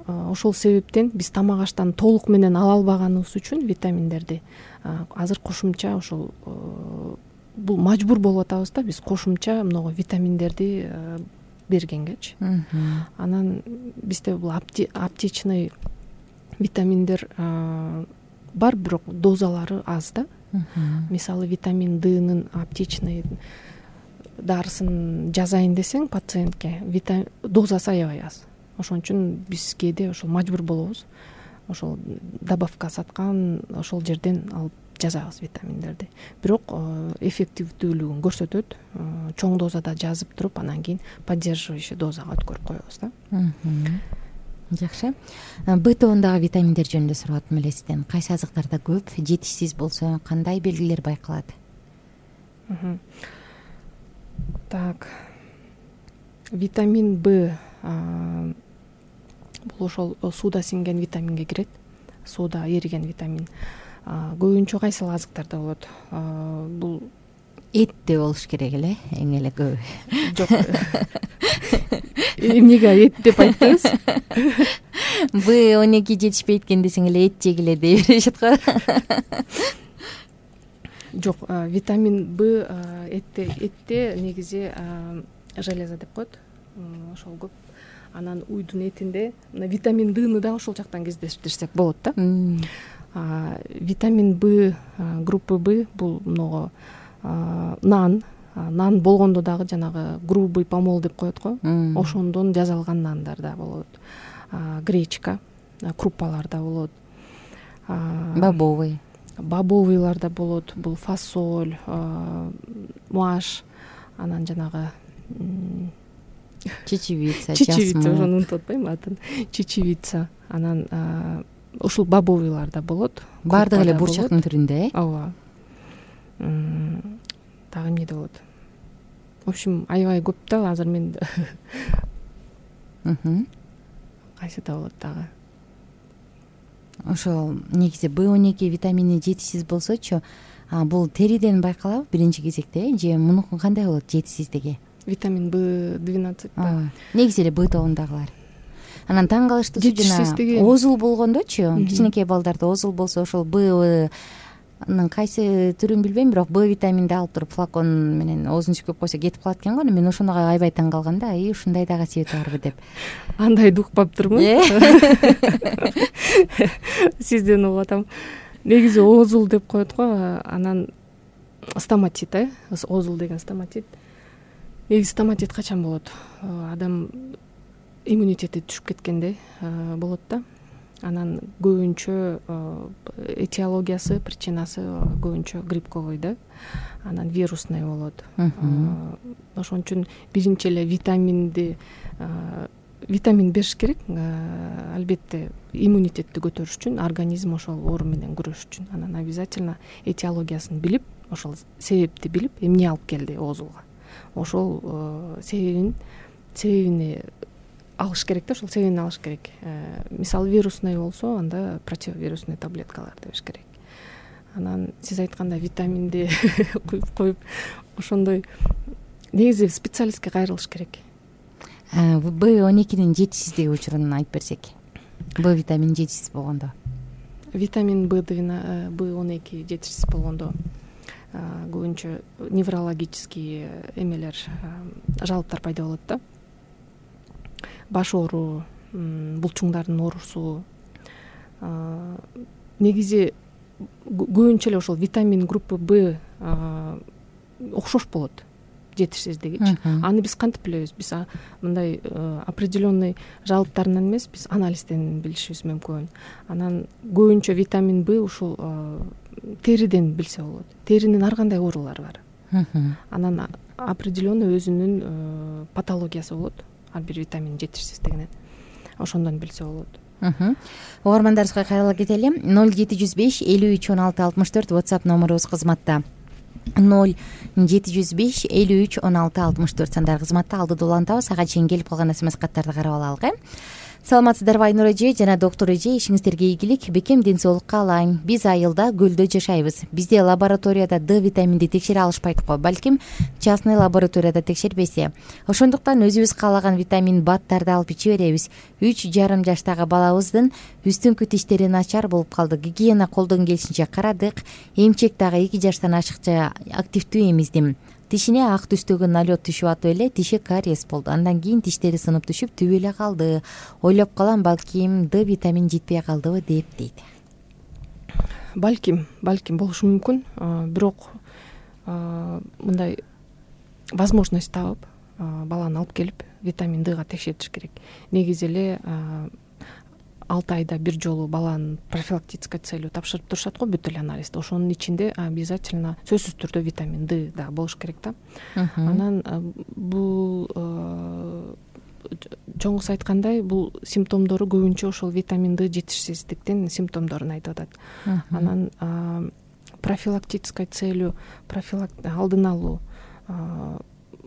Ошол себептен биз тамак аштан толук менен ала албаганыбыз үчүн витаминдерди азыр кошумча ошол бул мажбур болуп атабыз да, биз кошумча многу витаминдерди бергенгечи. Анан бизде бул аптечный витаминдер бар, бирок дозалары аз да. Мисалы витамин Д'нын аптечный дарысын жазайын десең пациентке, дозасы аябай аз. Ошон үчүн биз кээде ошол мажбур болобуз. Ошол добавка саткан ошол жерден алып жазабыз витаминдерди. Бирок эффективдүүлүгүн көрсөтөт. Чоң дозада жазып туруп, анан кийин поддерживающий дозага өткөрүп коебуз да. Жакшы. Б тобундагы витаминдер жөнүндө сурап атам эле сизден. Кайсы азыктарда көп, жетишсиз болсо кандай белгилер байкалат? Так. Витамин Б бул ошол сууда сиңген витаминге кирет. Сууда эриген витамин. Көбүнчө кайсыл азыктарда болот? Бул этте болуш керек эле, эң эле көбү. Жок. Эмнеге эт деп айттыңыз? Б он эки жетишпейт экен десең эле эт жегиле дей беришет го. Жок, витамин Б этте этте негизи железо деп коет. Ошол көп. Анан уйдун этинде витамин Д'ны да ошол жактан кездештирсек болот да. Витамин Б группы Б бул многу нан, нан болгондо дагы жанагы грубый помол деп коет го. Ошондон жасалган нандар да болот. Гречка, круппалар да болот. Бобовый. Бобовыйлар да болот. Бул фасоль, маш, анан жанагы чечевица, чечевица, ошону унутуп атпайм атын. Чечевица, анан ушул бобовыйлар да болот. Бардыгы эле бурчактын түрүндө, э? Ооба. Дагы эмне болот? В общем, аябай көп да, азыр мен кайсыда болот дагы? Ошол негизи Б он эки витамини жетишсиз болсочу, бул териден байкалабы биринчи кезекте, же мунукун кандай болот жетишсиздиги? Витамин Б двенадцать. Негизи эле Б тобундагылар. Анан таң калыштуусу жана озул болгондочу, кичинекей балдарда озул болсо ошол Бнын кайсы түрүн билбейм, бирок Б витаминди алып туруп флакон менен оозун сүкөп койсо кетип калат экен го. Мен ошондо аябай таң калгам да, ай ушундай да касиети барбы деп. Андайды укпаптырмын. Сизден угуп атам. Негизи озул деп коет го, анан стоматит, э? Озул деген стоматит. негизи стоматит качан болот? Адам иммунитети түшүп кеткенде болот да. Анан көбүнчө этиологиясы, причинасы көбүнчө грибковый да. Анан вирусный болот. Ошон үчүн биринчи эле витаминди витамин бериш керек. Албетте иммунитетти көтөрүш үчүн, организм ошол оору менен күрөшүш үчүн. Анан обязательно этиологиясын билип, ошол себепти билип, эмне алып келди оозуга. Ошол себебин себебини алыш керек да, ошол себебин алыш керек. Мисалы вирусный болсо, анда противовирусный таблеткаларды бериш керек. Анан сиз айткандай витаминди куюп коюп ошондой негизи специалистке кайрылыш керек. Б он экинин жетишсиздиги учурун айтып берсек. Б витамини жетишсиз болгондо. Витамин Б он эки жетишсиз болгондо көбүнчө неврологический эмелер, жалыптар пайда болот да. Баш оору, булчуңдардын оорусу. Негизи көбүнчө эле ошол витамин группы Б окшош болот жетишсиздигичи. Аны биз кантип билебиз? Биз мындай определенный жалыптарынан эмес, биз анализден билишибиз мүмкүн. Анан көбүнчө витамин Б ушул териден билсе болот. Теринин ар кандай оорулары бар. Анан определенный өзүнүн патологиясы болот. Ар бир витамин жетишсиздигинен. Ошондон билсе болот. Угармандарыбызга кайрыла кетели. ноль жети жүз беш элүү үч он алты алтымыш төрт WhatsApp номерубуз кызматта. ноль жети жүз беш элүү үч он алты алтымыш төрт сандары кызматта. Алдыда улантабыз. Ага чейин келип калган смс каттарды карап алалык э. Саламатсыздарбы Айнур эже жана доктор эже, ишиңиздерге ийгилик, бекем ден соолукка алайын. Биз айылда көлдө жашайбыз. Бизде лабораторияда Д витаминди текшере алышпайт го, балким частный лабораторияда текшербесе. Ошондуктан өзүбүз каалаган витамин баттарды алып иче беребиз. үч жарым жаштагы балабыздын үстүңкү тиштери начар болуп калды. Гигиена колдон келишинче карадык. Эмчек дагы эки жаштан ашыкча активдүү эмиздим. Тишине ак түстөгү налет түшүп атып эле тиши кариес болду. Андан кийин тиштери сынып түшүп түбү эле калды. Ойлоп калам, балким Д витамин жетпей калдыбы деп дейт. Балким, балким болушу мүмкүн. Бирок мындай возможность табып, баланы алып келип витамин Дга текшертиш керек. Негизи эле алты айда бир жолу баланын профилактической целью тапшырып турушат го бүт эле анализди. Ошонун ичинде обязательно сөзсүз түрдө витамин Д да болуш керек да. Анан бул чоңуз айткандай, бул симптомдору көбүнчө ошол витамин Д жетишсиздиктин симптомдорун айтып атат. Анан профилактической целью алдын алуу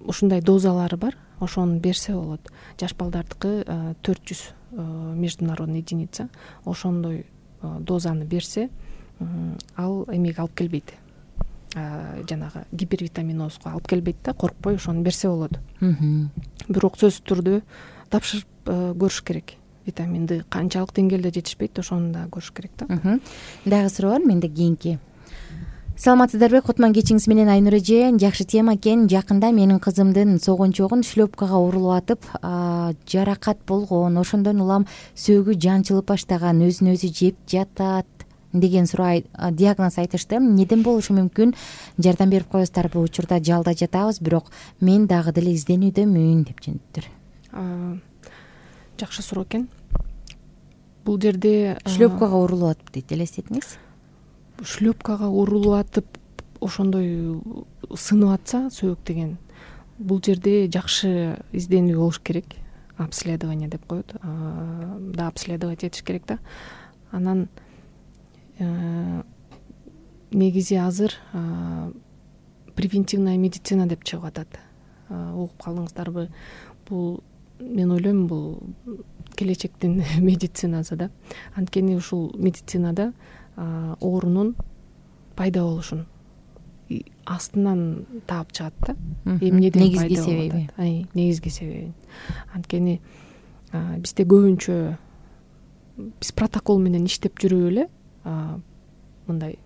ушундай дозалары бар. Ошону берсе болот. Жаш балдардыкы төрт жүз международный единица. Ошондой дозаны берсе, ал эмеге алып келбейт. Жанагы гипервитаминозго алып келбейт да, коркпой ошону берсе болот. Бирок сөзсүз түрдө тапшырып көрүш керек. Витамин Д канчалык деңгээлде жетишпейт, ошону да көрүш керек да. Дагы суроо бар менде кийинки. Саламатсыздарбы, Котман кечиңиз менен Айнур эже. Жакшы тема экен. Жакында менин кызымдын согунчогун шлепкага урулуп атып, жаракат болгон. Ошондон улам сөөгү жанчылып баштаган, өзүн өзү жеп жатат деген суроо диагноз айтышты. Неден болушу мүмкүн? Жардам берип коесуздарбы? Учурда жалда жатабыз, бирок мен дагы деле изденүүдөмүн деп жөнөттүр. Жакшы суроо экен. Бул жерде шлепкага урулуп атып дейт, элестетиңиз. Шлепкага урулуп атып, ошондой сынып атса сөөк деген, бул жерде жакшы изденүү болуш керек. Обследование деп коет. Да, обследовать этиш керек да. Анан негизи азыр превентивная медицина деп чыгып атат. Угуп калдыңыздарбы? Бул мен ойлойм, бул келечектин медицинасы да. Анткени ушул медицинада оорунун пайда болушун астынан таап чыгат да. Эмнеден пайда болуп атат? Ай, негизги себеби. Анткени бизде көбүнчө биз протокол менен иштеп жүрүп эле мындай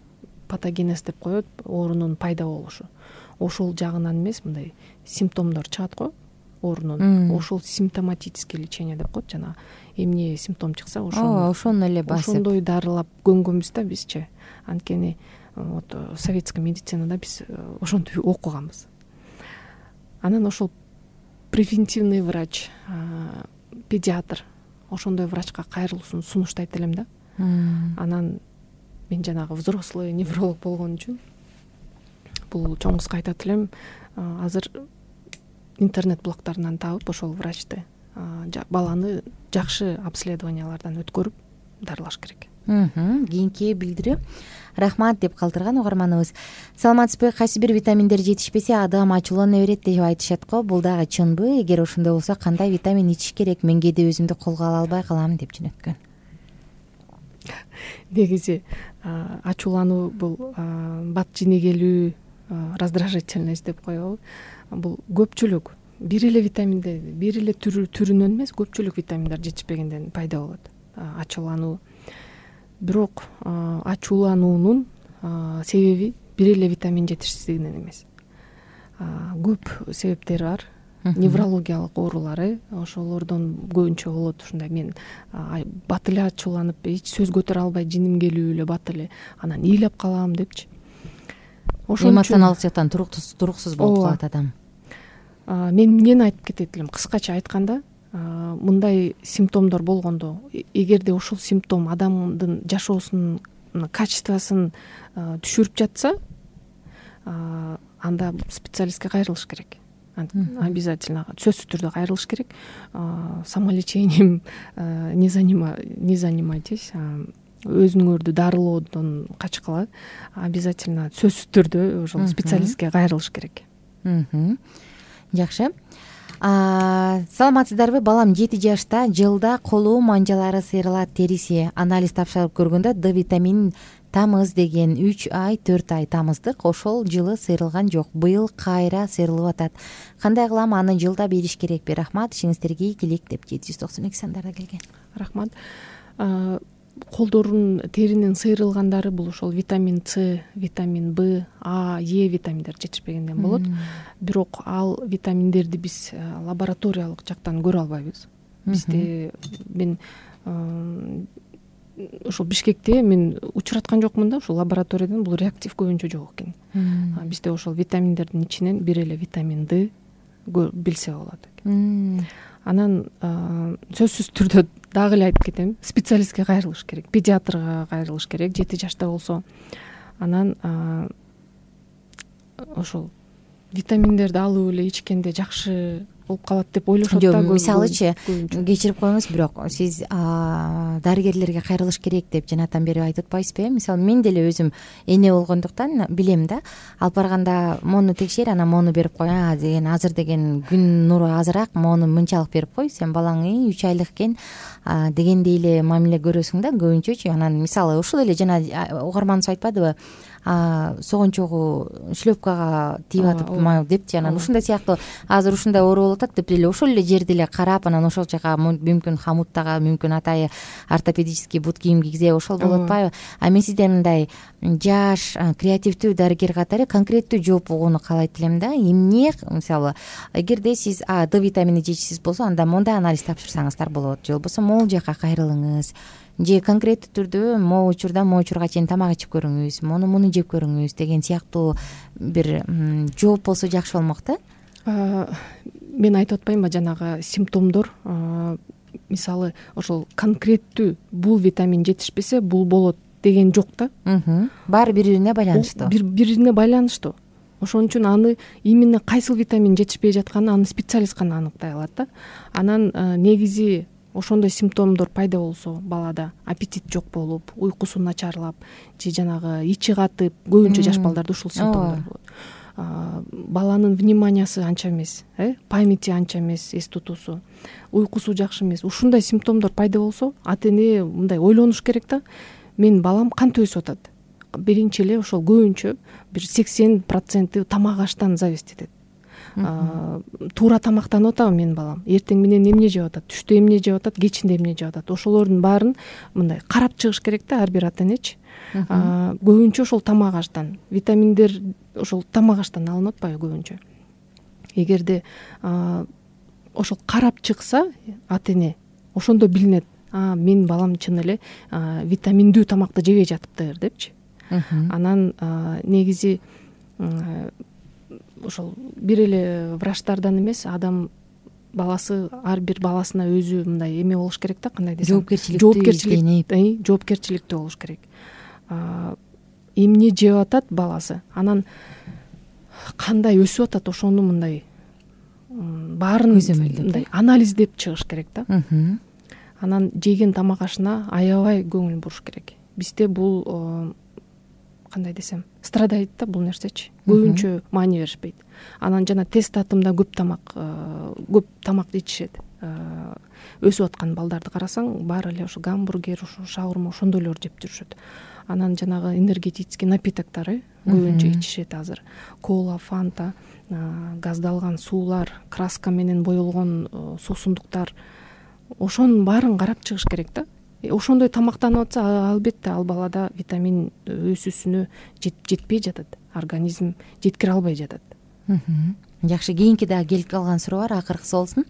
патогенез деп коет, оорунун пайда болушу. Ошол жагынан эмес, мындай симптомдор чыгат го оорунун. Ошол симптоматический лечение деп коет, жана эмне симптом чыкса ошону ошону эле басып ошондой дарылап көнгөнбүз да бизче. Анткени вот советский медицинада биз ошентип окуганбыз. Анан ошол превентивный врач, педиатр ошондой врачка кайрылуусун сунуштайт элем да. Анан мен жанагы взрослый невролог болгон үчүн бул чоңузга айтат элем, азыр интернет блогторунан таап ошол врачты баланы жакшы обследованиялардан өткөрүп дарылаш керек. Кийинки билдирүү. Рахмат деп калтырган угарманыбыз. Саламатсызбы? Кайсы бир витаминдер жетишпесе адам ачуулана берет деп айтышат го. Бул дагы чынбы? Эгер ошондой болсо кандай витамин ичиш керек? Мен кээде өзүмдү колго ала албай калам деп жөнөткөн. Негизи ачуулануу бул бат жинегелүү, раздражительность деп коебу. Бул көпчүлүк бир эле витаминде, бир эле түрүнөн эмес, көпчүлүк витаминдер жетишпегенден пайда болот ачуулануу. Бирок ачуулануунун себеби бир эле витамин жетишсиздигинен эмес. Көп себептери бар. Неврологиялык оорулары, ошолордон көбүнчө болот. Ушундай мен бат эле ачууланып, эч сөз көтөрө албай, жиним келип эле бат эле, анан ыйлап калам депчи. Эмоционалдык жактан туруксуз болуп калат адам. Мен эмнени айтып кетет элем? Кыскача айтканда, мындай симптомдор болгондо, эгерде ошол симптом адамдын жашоосунун качествосын түшүрүп жатса, анда специалистке кайрылыш керек. Обязательно сөзсүз түрдө кайрылыш керек. Самолечением не занимайтесь. Өзүңөрдү дарылоодон качкыла. Обязательно сөзсүз түрдө ошол специалистке кайрылыш керек. Жакшы. Саламатсыздарбы? Балам жети жашта, жылда колу манжалары сыйрылат, териси. Анализ тапшырып көргөндө Д витамин тамыз деген үч ай төрт ай тамыздык, ошол жылы сыйрылган жок. Быйыл кайра сыйрылып атат. Кандай кылам? Аны жылда бериш керекпи? Рахмат, ишиңиздерге ийгилик деп жети жүз токсон эки сандарда келген. Рахмат. Колдорун теринин сыйрылгандары бул ошол витамин С, витамин Б, А, Е витаминдер жетишпегенден болот. Бирок ал витаминдерди биз лабораториялык жактан көрө албайбыз. Бизде мен ошол Бишкекте мен учураткан жокмун да, ошол лабораториядан бул реактив көбүнчө жок экен. Бизде ошол витаминдердин ичинен бир эле витамин Д билсе болот экен. Анан сөзсүз түрдө дагы эле айтып кетем, специалистке кайрылыш керек, педиатрга кайрылыш керек, жети жашта болсо. Анан ошол витаминдерди алып эле ичкенде жакшы болуп калат деп ойлошот да. Мисалычы, кечирип коюңуз, бирок сиз дарыгерлерге кайрылыш керек деп жанатан бери айтып атпайсызбы? Мисалы, мен деле өзүм эне болгондуктан билем да. Алып барганда мону текшер, анан мону берип кой, а деген азыр деген күн нуру азыраак, мону мынчалык берип кой, сен балаңы үч айлык экен дегендей эле мамиле көрөсүң да көбүнчөчү. Анан мисалы ушул эле жана угарманыбыз айтпадыбы? Согончогу шлепкага тийип атып депчи, анан ушундай сыяктуу азыр ушундай оору болуп атат деп эле ошол эле жерди эле карап, анан ошол жака мүмкүн хамуттага, мүмкүн атайы ортопедический бут кийим кийгизе, ошол болуп атпайбы? А мен сизден мындай жаш, креативдүү дарыгер катары конкреттүү жооп угууну каалайт элем да. Эмне, мисалы, эгерде сиз Д витамини жетишсиз болсо, анда мондай анализ тапшырсаңыздар болот, же болбосо могул жака кайрылыңыз, же конкреттүү түрдө могу учурда могу учурга чейин тамак ичип көрүңүз, мону муну жеп көрүңүз деген сыяктуу бир жооп болсо жакшы болмок да. Мен айтып атпаймынбы, жанагы симптомдор, мисалы, ошол конкреттүү бул витамин жетишпесе бул болот деген жок да. Баары бири-бирине байланыштуу. Бири-бирине байланыштуу. Ошон үчүн аны именно кайсыл витамин жетишпей жатканын аны специалист гана аныктай алат да. Анан негизи ошондой симптомдор пайда болсо, балада аппетит жок болуп, уйкусу начарлап, же жанагы ичи катып, көбүнчө жаш балдарда ушул симптомдор болот. Баланын вниманиясы анча эмес, э, памяти анча эмес, эс тутуусу, уйкусу жакшы эмес. Ушундай симптомдор пайда болсо, ата-эне мындай ойлонуш керек да. Мен балам кантип өсүп атат? Биринчи эле ошол көбүнчө бир сексен проценти тамак аштан зависит этет. Туура тамактанып атабы менин балам? Эртең менен эмне жеп атат? Түштө эмне жеп атат? Кечинде эмне жеп атат? Ошолордун баарын мындай карап чыгыш керек да ар бир ата-энечи. Көбүнчө ошол тамак аштан, витаминдер ошол тамак аштан алынып атпайбы көбүнчө? Эгерде ошол карап чыкса ата-эне, ошондо билинет, а менин балам чын эле витаминдүү тамакты жебей жатыптыр депчи. Анан негизи ошол бир эле врачтардан эмес, адам баласы ар бир баласына өзү мындай эме болуш керек да, кандай десем, жоопкерчиликтүү жоопкерчиликтүү болуш керек. Эмне жеп атат баласы, анан кандай өсүп атат, ошону мындай баарын мындай анализдеп чыгыш керек да. Анан жеген тамак ашына аябай көңүл буруш керек. Бизде бул кандай десем, страдайт да бул нерсечи. Көбүнчө маани беришпейт. Анан жана тест татымда көп тамак көп тамак ичишет. Өсүп аткан балдарды карасаң, баары эле ошо гамбургер, ошо шаурма, ошондойлорду жеп жүрүшөт. Анан жанагы энергетический напитоктор көбүнчө ичишет азыр. Кола, фанта, газдалган суулар, краска менен боелгон суусундуктар. Ошонун баарын карап чыгыш керек да. Ошондой тамактанып атса, албетте ал балада витамин өсүүсүнө жетпей жатат. Организм жеткире албай жатат. Жакшы, кийинки дагы келип калган суроо бар, акыркысы болсун.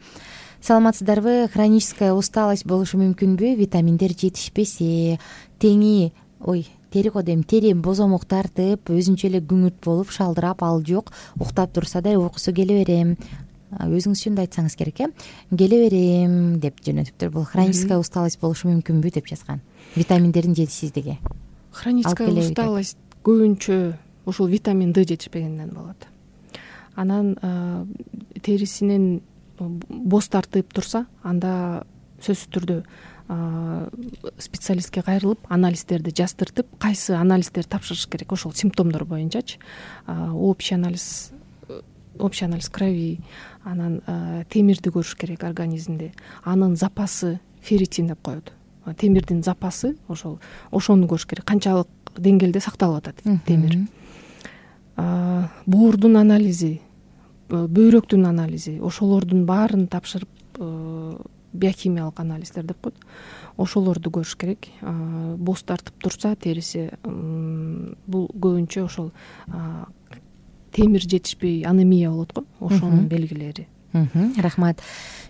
Саламатсыздарбы? Хроническая усталость болушу мүмкүнбү? Витаминдер жетишпесе, теңи, ой, тери го дейм, тери бозомок тартып, өзүнчө эле күңүрт болуп, шалдырап, ал жок, уктап турса да уйкусу келе берем. Өзүңүз жөнүндө айтсаңыз керек, э? Келе берем деп жөнөтүптүр. Бул хроническая усталость болушу мүмкүнбү деп жазган. Витаминдердин жетишсиздиги. Хроническая усталость көбүнчө ушул витамин Д жетишпегенден болот. Анан терисинен боз тартып турса, анда сөзсүз түрдө специалистке кайрылып, анализдерди жаздыртып, кайсы анализдерди тапшырыш керек, ошол симптомдор боюнчачы. Общий анализ общий анализ крови, анан темирди көрүш керек организмде. Анын запасы ферритин деп коет. Темирдин запасы ошол ошону көрүш керек. Канчалык деңгээлде сакталып атат темир. Боордун анализи, бөйрөктүн анализи, ошолордун баарын тапшырып, биохимиялык анализдер деп коет. Ошолорду көрүш керек. Боз тартып турса териси, бул көбүнчө ошол темир жетишпей анемия болот го, ошонун белгилери. Рахмат.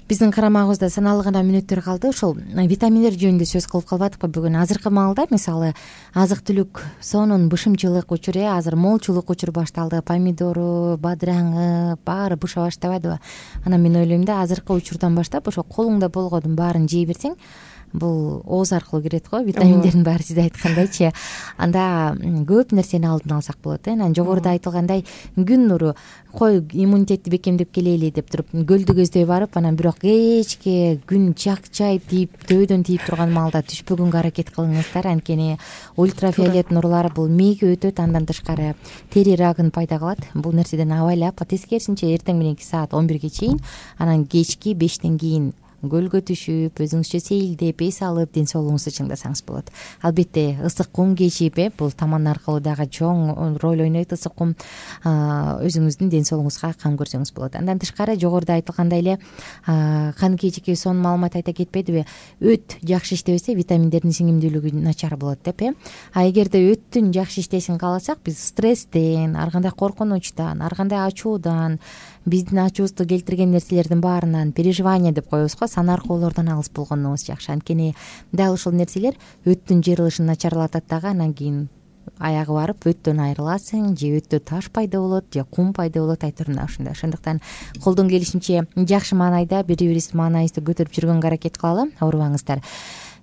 Биздин карамагыбызда саналуу гана мүнөттөр калды. Ошол витаминдер жөнүндө сөз кылып калбадыкпы бүгүн? Азыркы маалда мисалы азык түлүк сонун бышымчылык учуру, азыр молчулук учуру башталды. Помидору, бадыраңы баары быша баштабадыбы? Анан мен ойлойм да, азыркы учурдан баштап ошо колуңда болгондун баарын жей берсең, бул ооз аркылуу кирет го, витаминдердин баары сиз айткандайчы. Анда көп нерсени алдын алсак болот. Анан жогоруда айтылгандай, күн нуру кой иммунитетти бекемдеп келели деп туруп көлдү көздөй барып, анан бирок кечке күн чакчайып тийип, төбөдөн тийип турган маалда түшпөгөнгө аракет кылыңыздар. Анткени ультрафиолет нурлар бул мээге өтөт, андан тышкары тери рагын пайда кылат. Бул нерседен абайлап, тескерисинче эртең мененки саат он бирге чейин, анан кечки бештен кийин көлгө түшүп, өзүңүзчө сейилдеп, эс алып, ден соолугуңузду чыңдасаңыз болот. Албетте ысык кум кечип, бул таман аркылуу дагы чоң роль ойнойт. Ысык кум өзүңүздүн ден соолугуңузга кам көрсөңүз болот. Андан тышкары жогоруда айтылгандай эле, Каныкей эжеке сонун маалымат айта кетпедиби? Өт жакшы иштебесе, витаминдердин сиңимдүүлүгү начар болот деп, э? А эгерде өттүн жакшы иштешин кааласак, биз стресстен, ар кандай коркунучтан, ар кандай ачуудан, биздин ачуубузду келтирген нерселердин баарынан переживание деп коебуз го, санаркоолордон алыс болгонубуз жакшы. Анткени дал ушул нерселер өттүн жыйрылышын начарлатат дагы. Анан кийин аягы барып өттөн айрыласың, же өттө таш пайда болот, же кум пайда болот, айтырына ушундай. Ошондуктан колдон келишинче жакшы маанайда бири-бирибизди маанайыбызды көтөрүп жүргөнгө аракет кылалы, оорубаңыздар.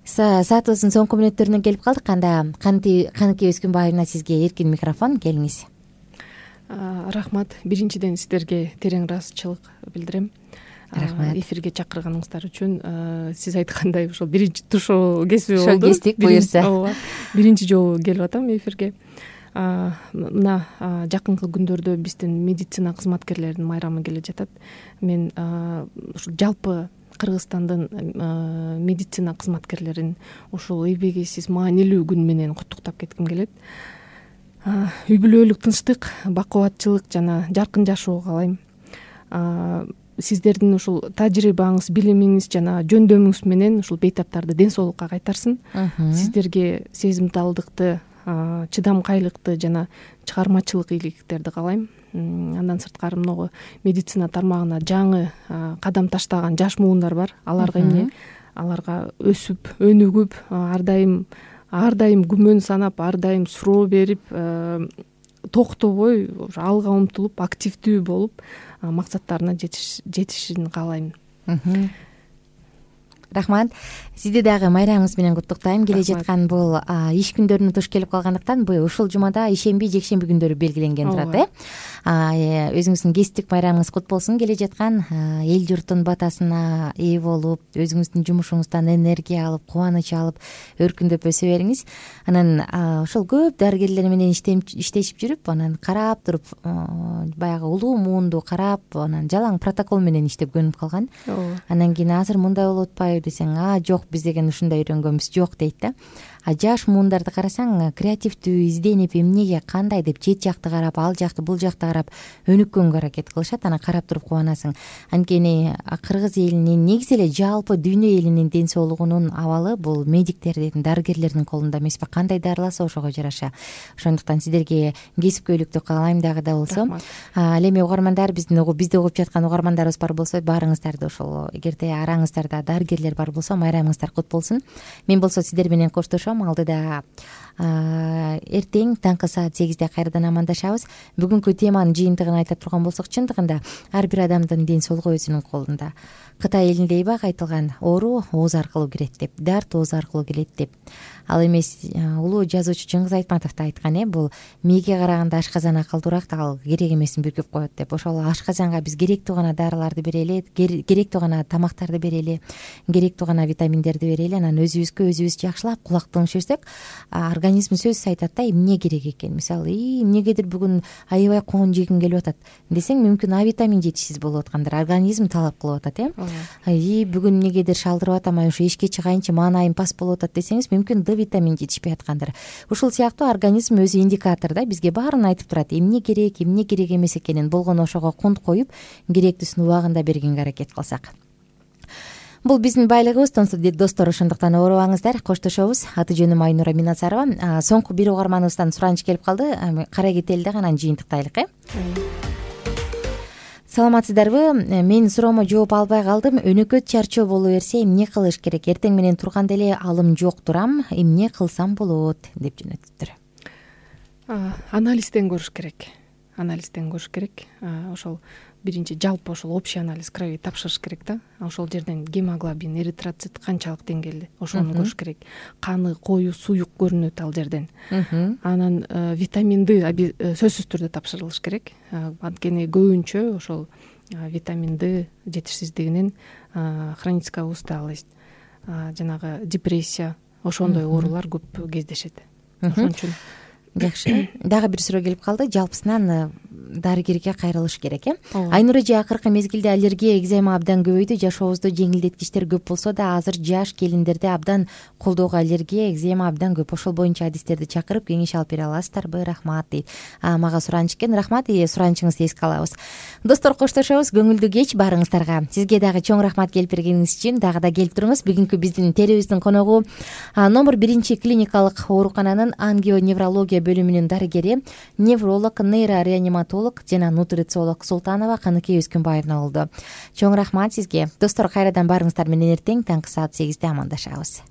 Саатыбыздын соңку мүнөттөрүнө келип калдык. Анда Каныкей Өскүнбаевна, сизге эркин микрофон, келиңиз. Рахмат. Биринчиден сиздерге терең ыраазычылык билдирем. Рахмат. Эфирге чакырганыңыздар үчүн. Сиз айткандай ушул биринчи тушоо кесиби болду. Ошо кестик буюрса. Ооба. Биринчи жолу келип атам эфирге. Мына жакынкы күндөрдө биздин медицина кызматкерлеринин майрамы келе жатат. Мен ушул жалпы Кыргызстандын медицина кызматкерлерин ушул эбегейсиз маанилүү күн менен куттуктап кетким келет. Үй бүлөлүк тынчтык, бакубатчылык жана жаркын жашоо каалайм. Сиздердин ушул тажрыйбаңыз, билимиңиз жана жөндөмүңүз менен ушул бейтаптарды ден соолукка кайтарсын. Сиздерге сезимталдыкты, чыдамкайлыкты жана чыгармачылык ийгиликтерди каалайм. Андан сырткары могу медицина тармагына жаңы кадам таштаган жаш муундар бар. Аларга эмне? Аларга өсүп, өнүгүп, ар дайым ар дайым күмөн санап, ар дайым суроо берип, токтобой алга умтулуп, активдүү болуп, максаттарына жетишин каалайм. рахмат. Сизди дагы майрамыңыз менен куттуктайм. Келе жаткан бул иш күндөрүнө туш келип калгандыктан бул ушул жумада ишемби, жекшемби күндөрү белгиленген турат, э. Өзүңүздүн кесиптик майрамыңыз кут болсун. Келе жаткан эл журттун батасына ээ болуп, өзүңүздүн жумушуңуздан энергия алып, кубаныч алып, өркүндөп өсө бериңиз. Анан ошол көп дарыгерлер менен иштешип жүрүп, анан карап туруп, баягы улуу муунду карап, анан жалаң протокол менен иштеп көнүп калган. Анан кийин азыр мындай болуп атпайбы десең, а жок, биз деген ушундай үйрөнгөнбүз, жок дейт да. А жаш муундарды карасаң, креативдүү, изденип, эмнеге, кандай деп чет жакты карап, ал жакты, бул жакты карап өнүккөнгө аракет кылышат. Анан карап туруп кубанасың. Анткени кыргыз элинин, негизи эле жалпы дүйнө элинин ден соолугунун абалы бул медиктердин, дарыгерлердин колунда эмеспи? Кандай дарыласа ошого жараша. Ошондуктан сиздерге кесипкөйлүктү каалайм дагы да болсо. Ал эми угармандар, биздин бизди угуп жаткан угармандарыбыз бар болсо, баарыңыздарды ошол, эгерде араңыздарда дарыгерлер бар болсо, майрамыңыздар кут болсун. Мен болсо сиздер менен коштошом. Алдыда эртең таңкы саат сегизде кайрадан амандашабыз. Бүгүнкү теманын жыйынтыгын айта турган болсок, чындыгында ар бир адамдын ден соолугу өзүнүн колунда. Кытай элинде эбак айтылган, оору ооз аркылуу кирет деп, дарт ооз аркылуу келет деп. Ал эмес, улуу жазуучу Чыңгыз Айтматов да айткан, э, бул мээге караганда ашказан акылдуураак, ал керек эмесин бүркөп коет деп. Ошол ашказанга биз керектүү гана дарыларды берели, керектүү гана тамактарды берели, керектүү гана витаминдерди берели. Анан өзүбүзгө өзүбүз жакшылап кулак түшүрсөк, организм сөзсүз айтат да, эмне керек экен. Мисалы, эмнегедир бүгүн аябай коон жегим келип атат десең, мүмкүн А витамин жетишсиз болуп аткандыр, организм талап кылып атат, э. И бүгүн эмнегедир шалдырып атам, ошо эшикке чыгайынчы маанайым пас болуп атат десеңиз, мүмкүн Д витамин жетишпей аткандыр. Ушул сыяктуу организм өзү индикатор да, бизге баарын айтып турат. Эмне керек, эмне керек эмес экенин болгону ошого кунт коюп, керектүүсүн убагында бергенге аракет кылсак. Бул биздин байлыгыбыз, достор. Ошондуктан оорубаңыздар, коштошобуз. Аты жөнүм Айнура Минасарова. Соңку бир угарманыбыздан сураныч келип калды. Кара кетели дагы анан жыйынтыктайлык, э. Саламатсыздарбы? Мен суроомо жооп албай калдым. Өнөкөт чарчоо боло берсе эмне кылыш керек? Эртең менен турганда эле алым жок турам. Эмне кылсам болот? Деп жөнөттүр. Анализден көрүш керек. Анализден көрүш керек. Ошол биринчи жалпы ошол общий анализ крови тапшырыш керек да. Ошол жерден гемоглобин, эритроцит канчалык деңгээлде, ошону көрүш керек. Каны коюу, суюк көрүнөт ал жерден. Анан витамин Д сөзсүз түрдө тапшырылыш керек. Анткени көбүнчө ошол витамин Д жетишсиздигинен хроническая усталость, жанагы депрессия, ошондой оорулар көп кездешет. Ошон үчүн жакшы. Дагы бир суроо келип калды. Жалпысынан дарыгерге кайрылыш керек, э? Айнура эже, акыркы мезгилде аллергия, экзема абдан көбөйдү. Жашообузда жеңилдеткичтер көп болсо да, азыр жаш келиндерде абдан колдоого аллергия, экзема абдан көп. Ошол боюнча адистерди чакырып кеңеш алып бере аласыздарбы? Рахмат дейт. Мага сураныч экен. Рахмат, суранычыңызды эске алабыз. Достор, коштошобуз. Көңүлдүү кеч баарыңыздарга. Сизге дагы чоң рахмат келип бергениңиз үчүн. Дагы да келип туруңуз. Бүгүнкү биздин телебиздин коногу номер биринчи клиникалык оорукананын ангионеврология бөлүмүнүн дарыгери, невролог, нейрореаниматолог жана нутрициолог Султанова Каныкей Өскүнбаевна болду. Чоң рахмат сизге. Достор, кайрадан баарыңыздар менен эртең таңкы саат сегизде амандашабыз.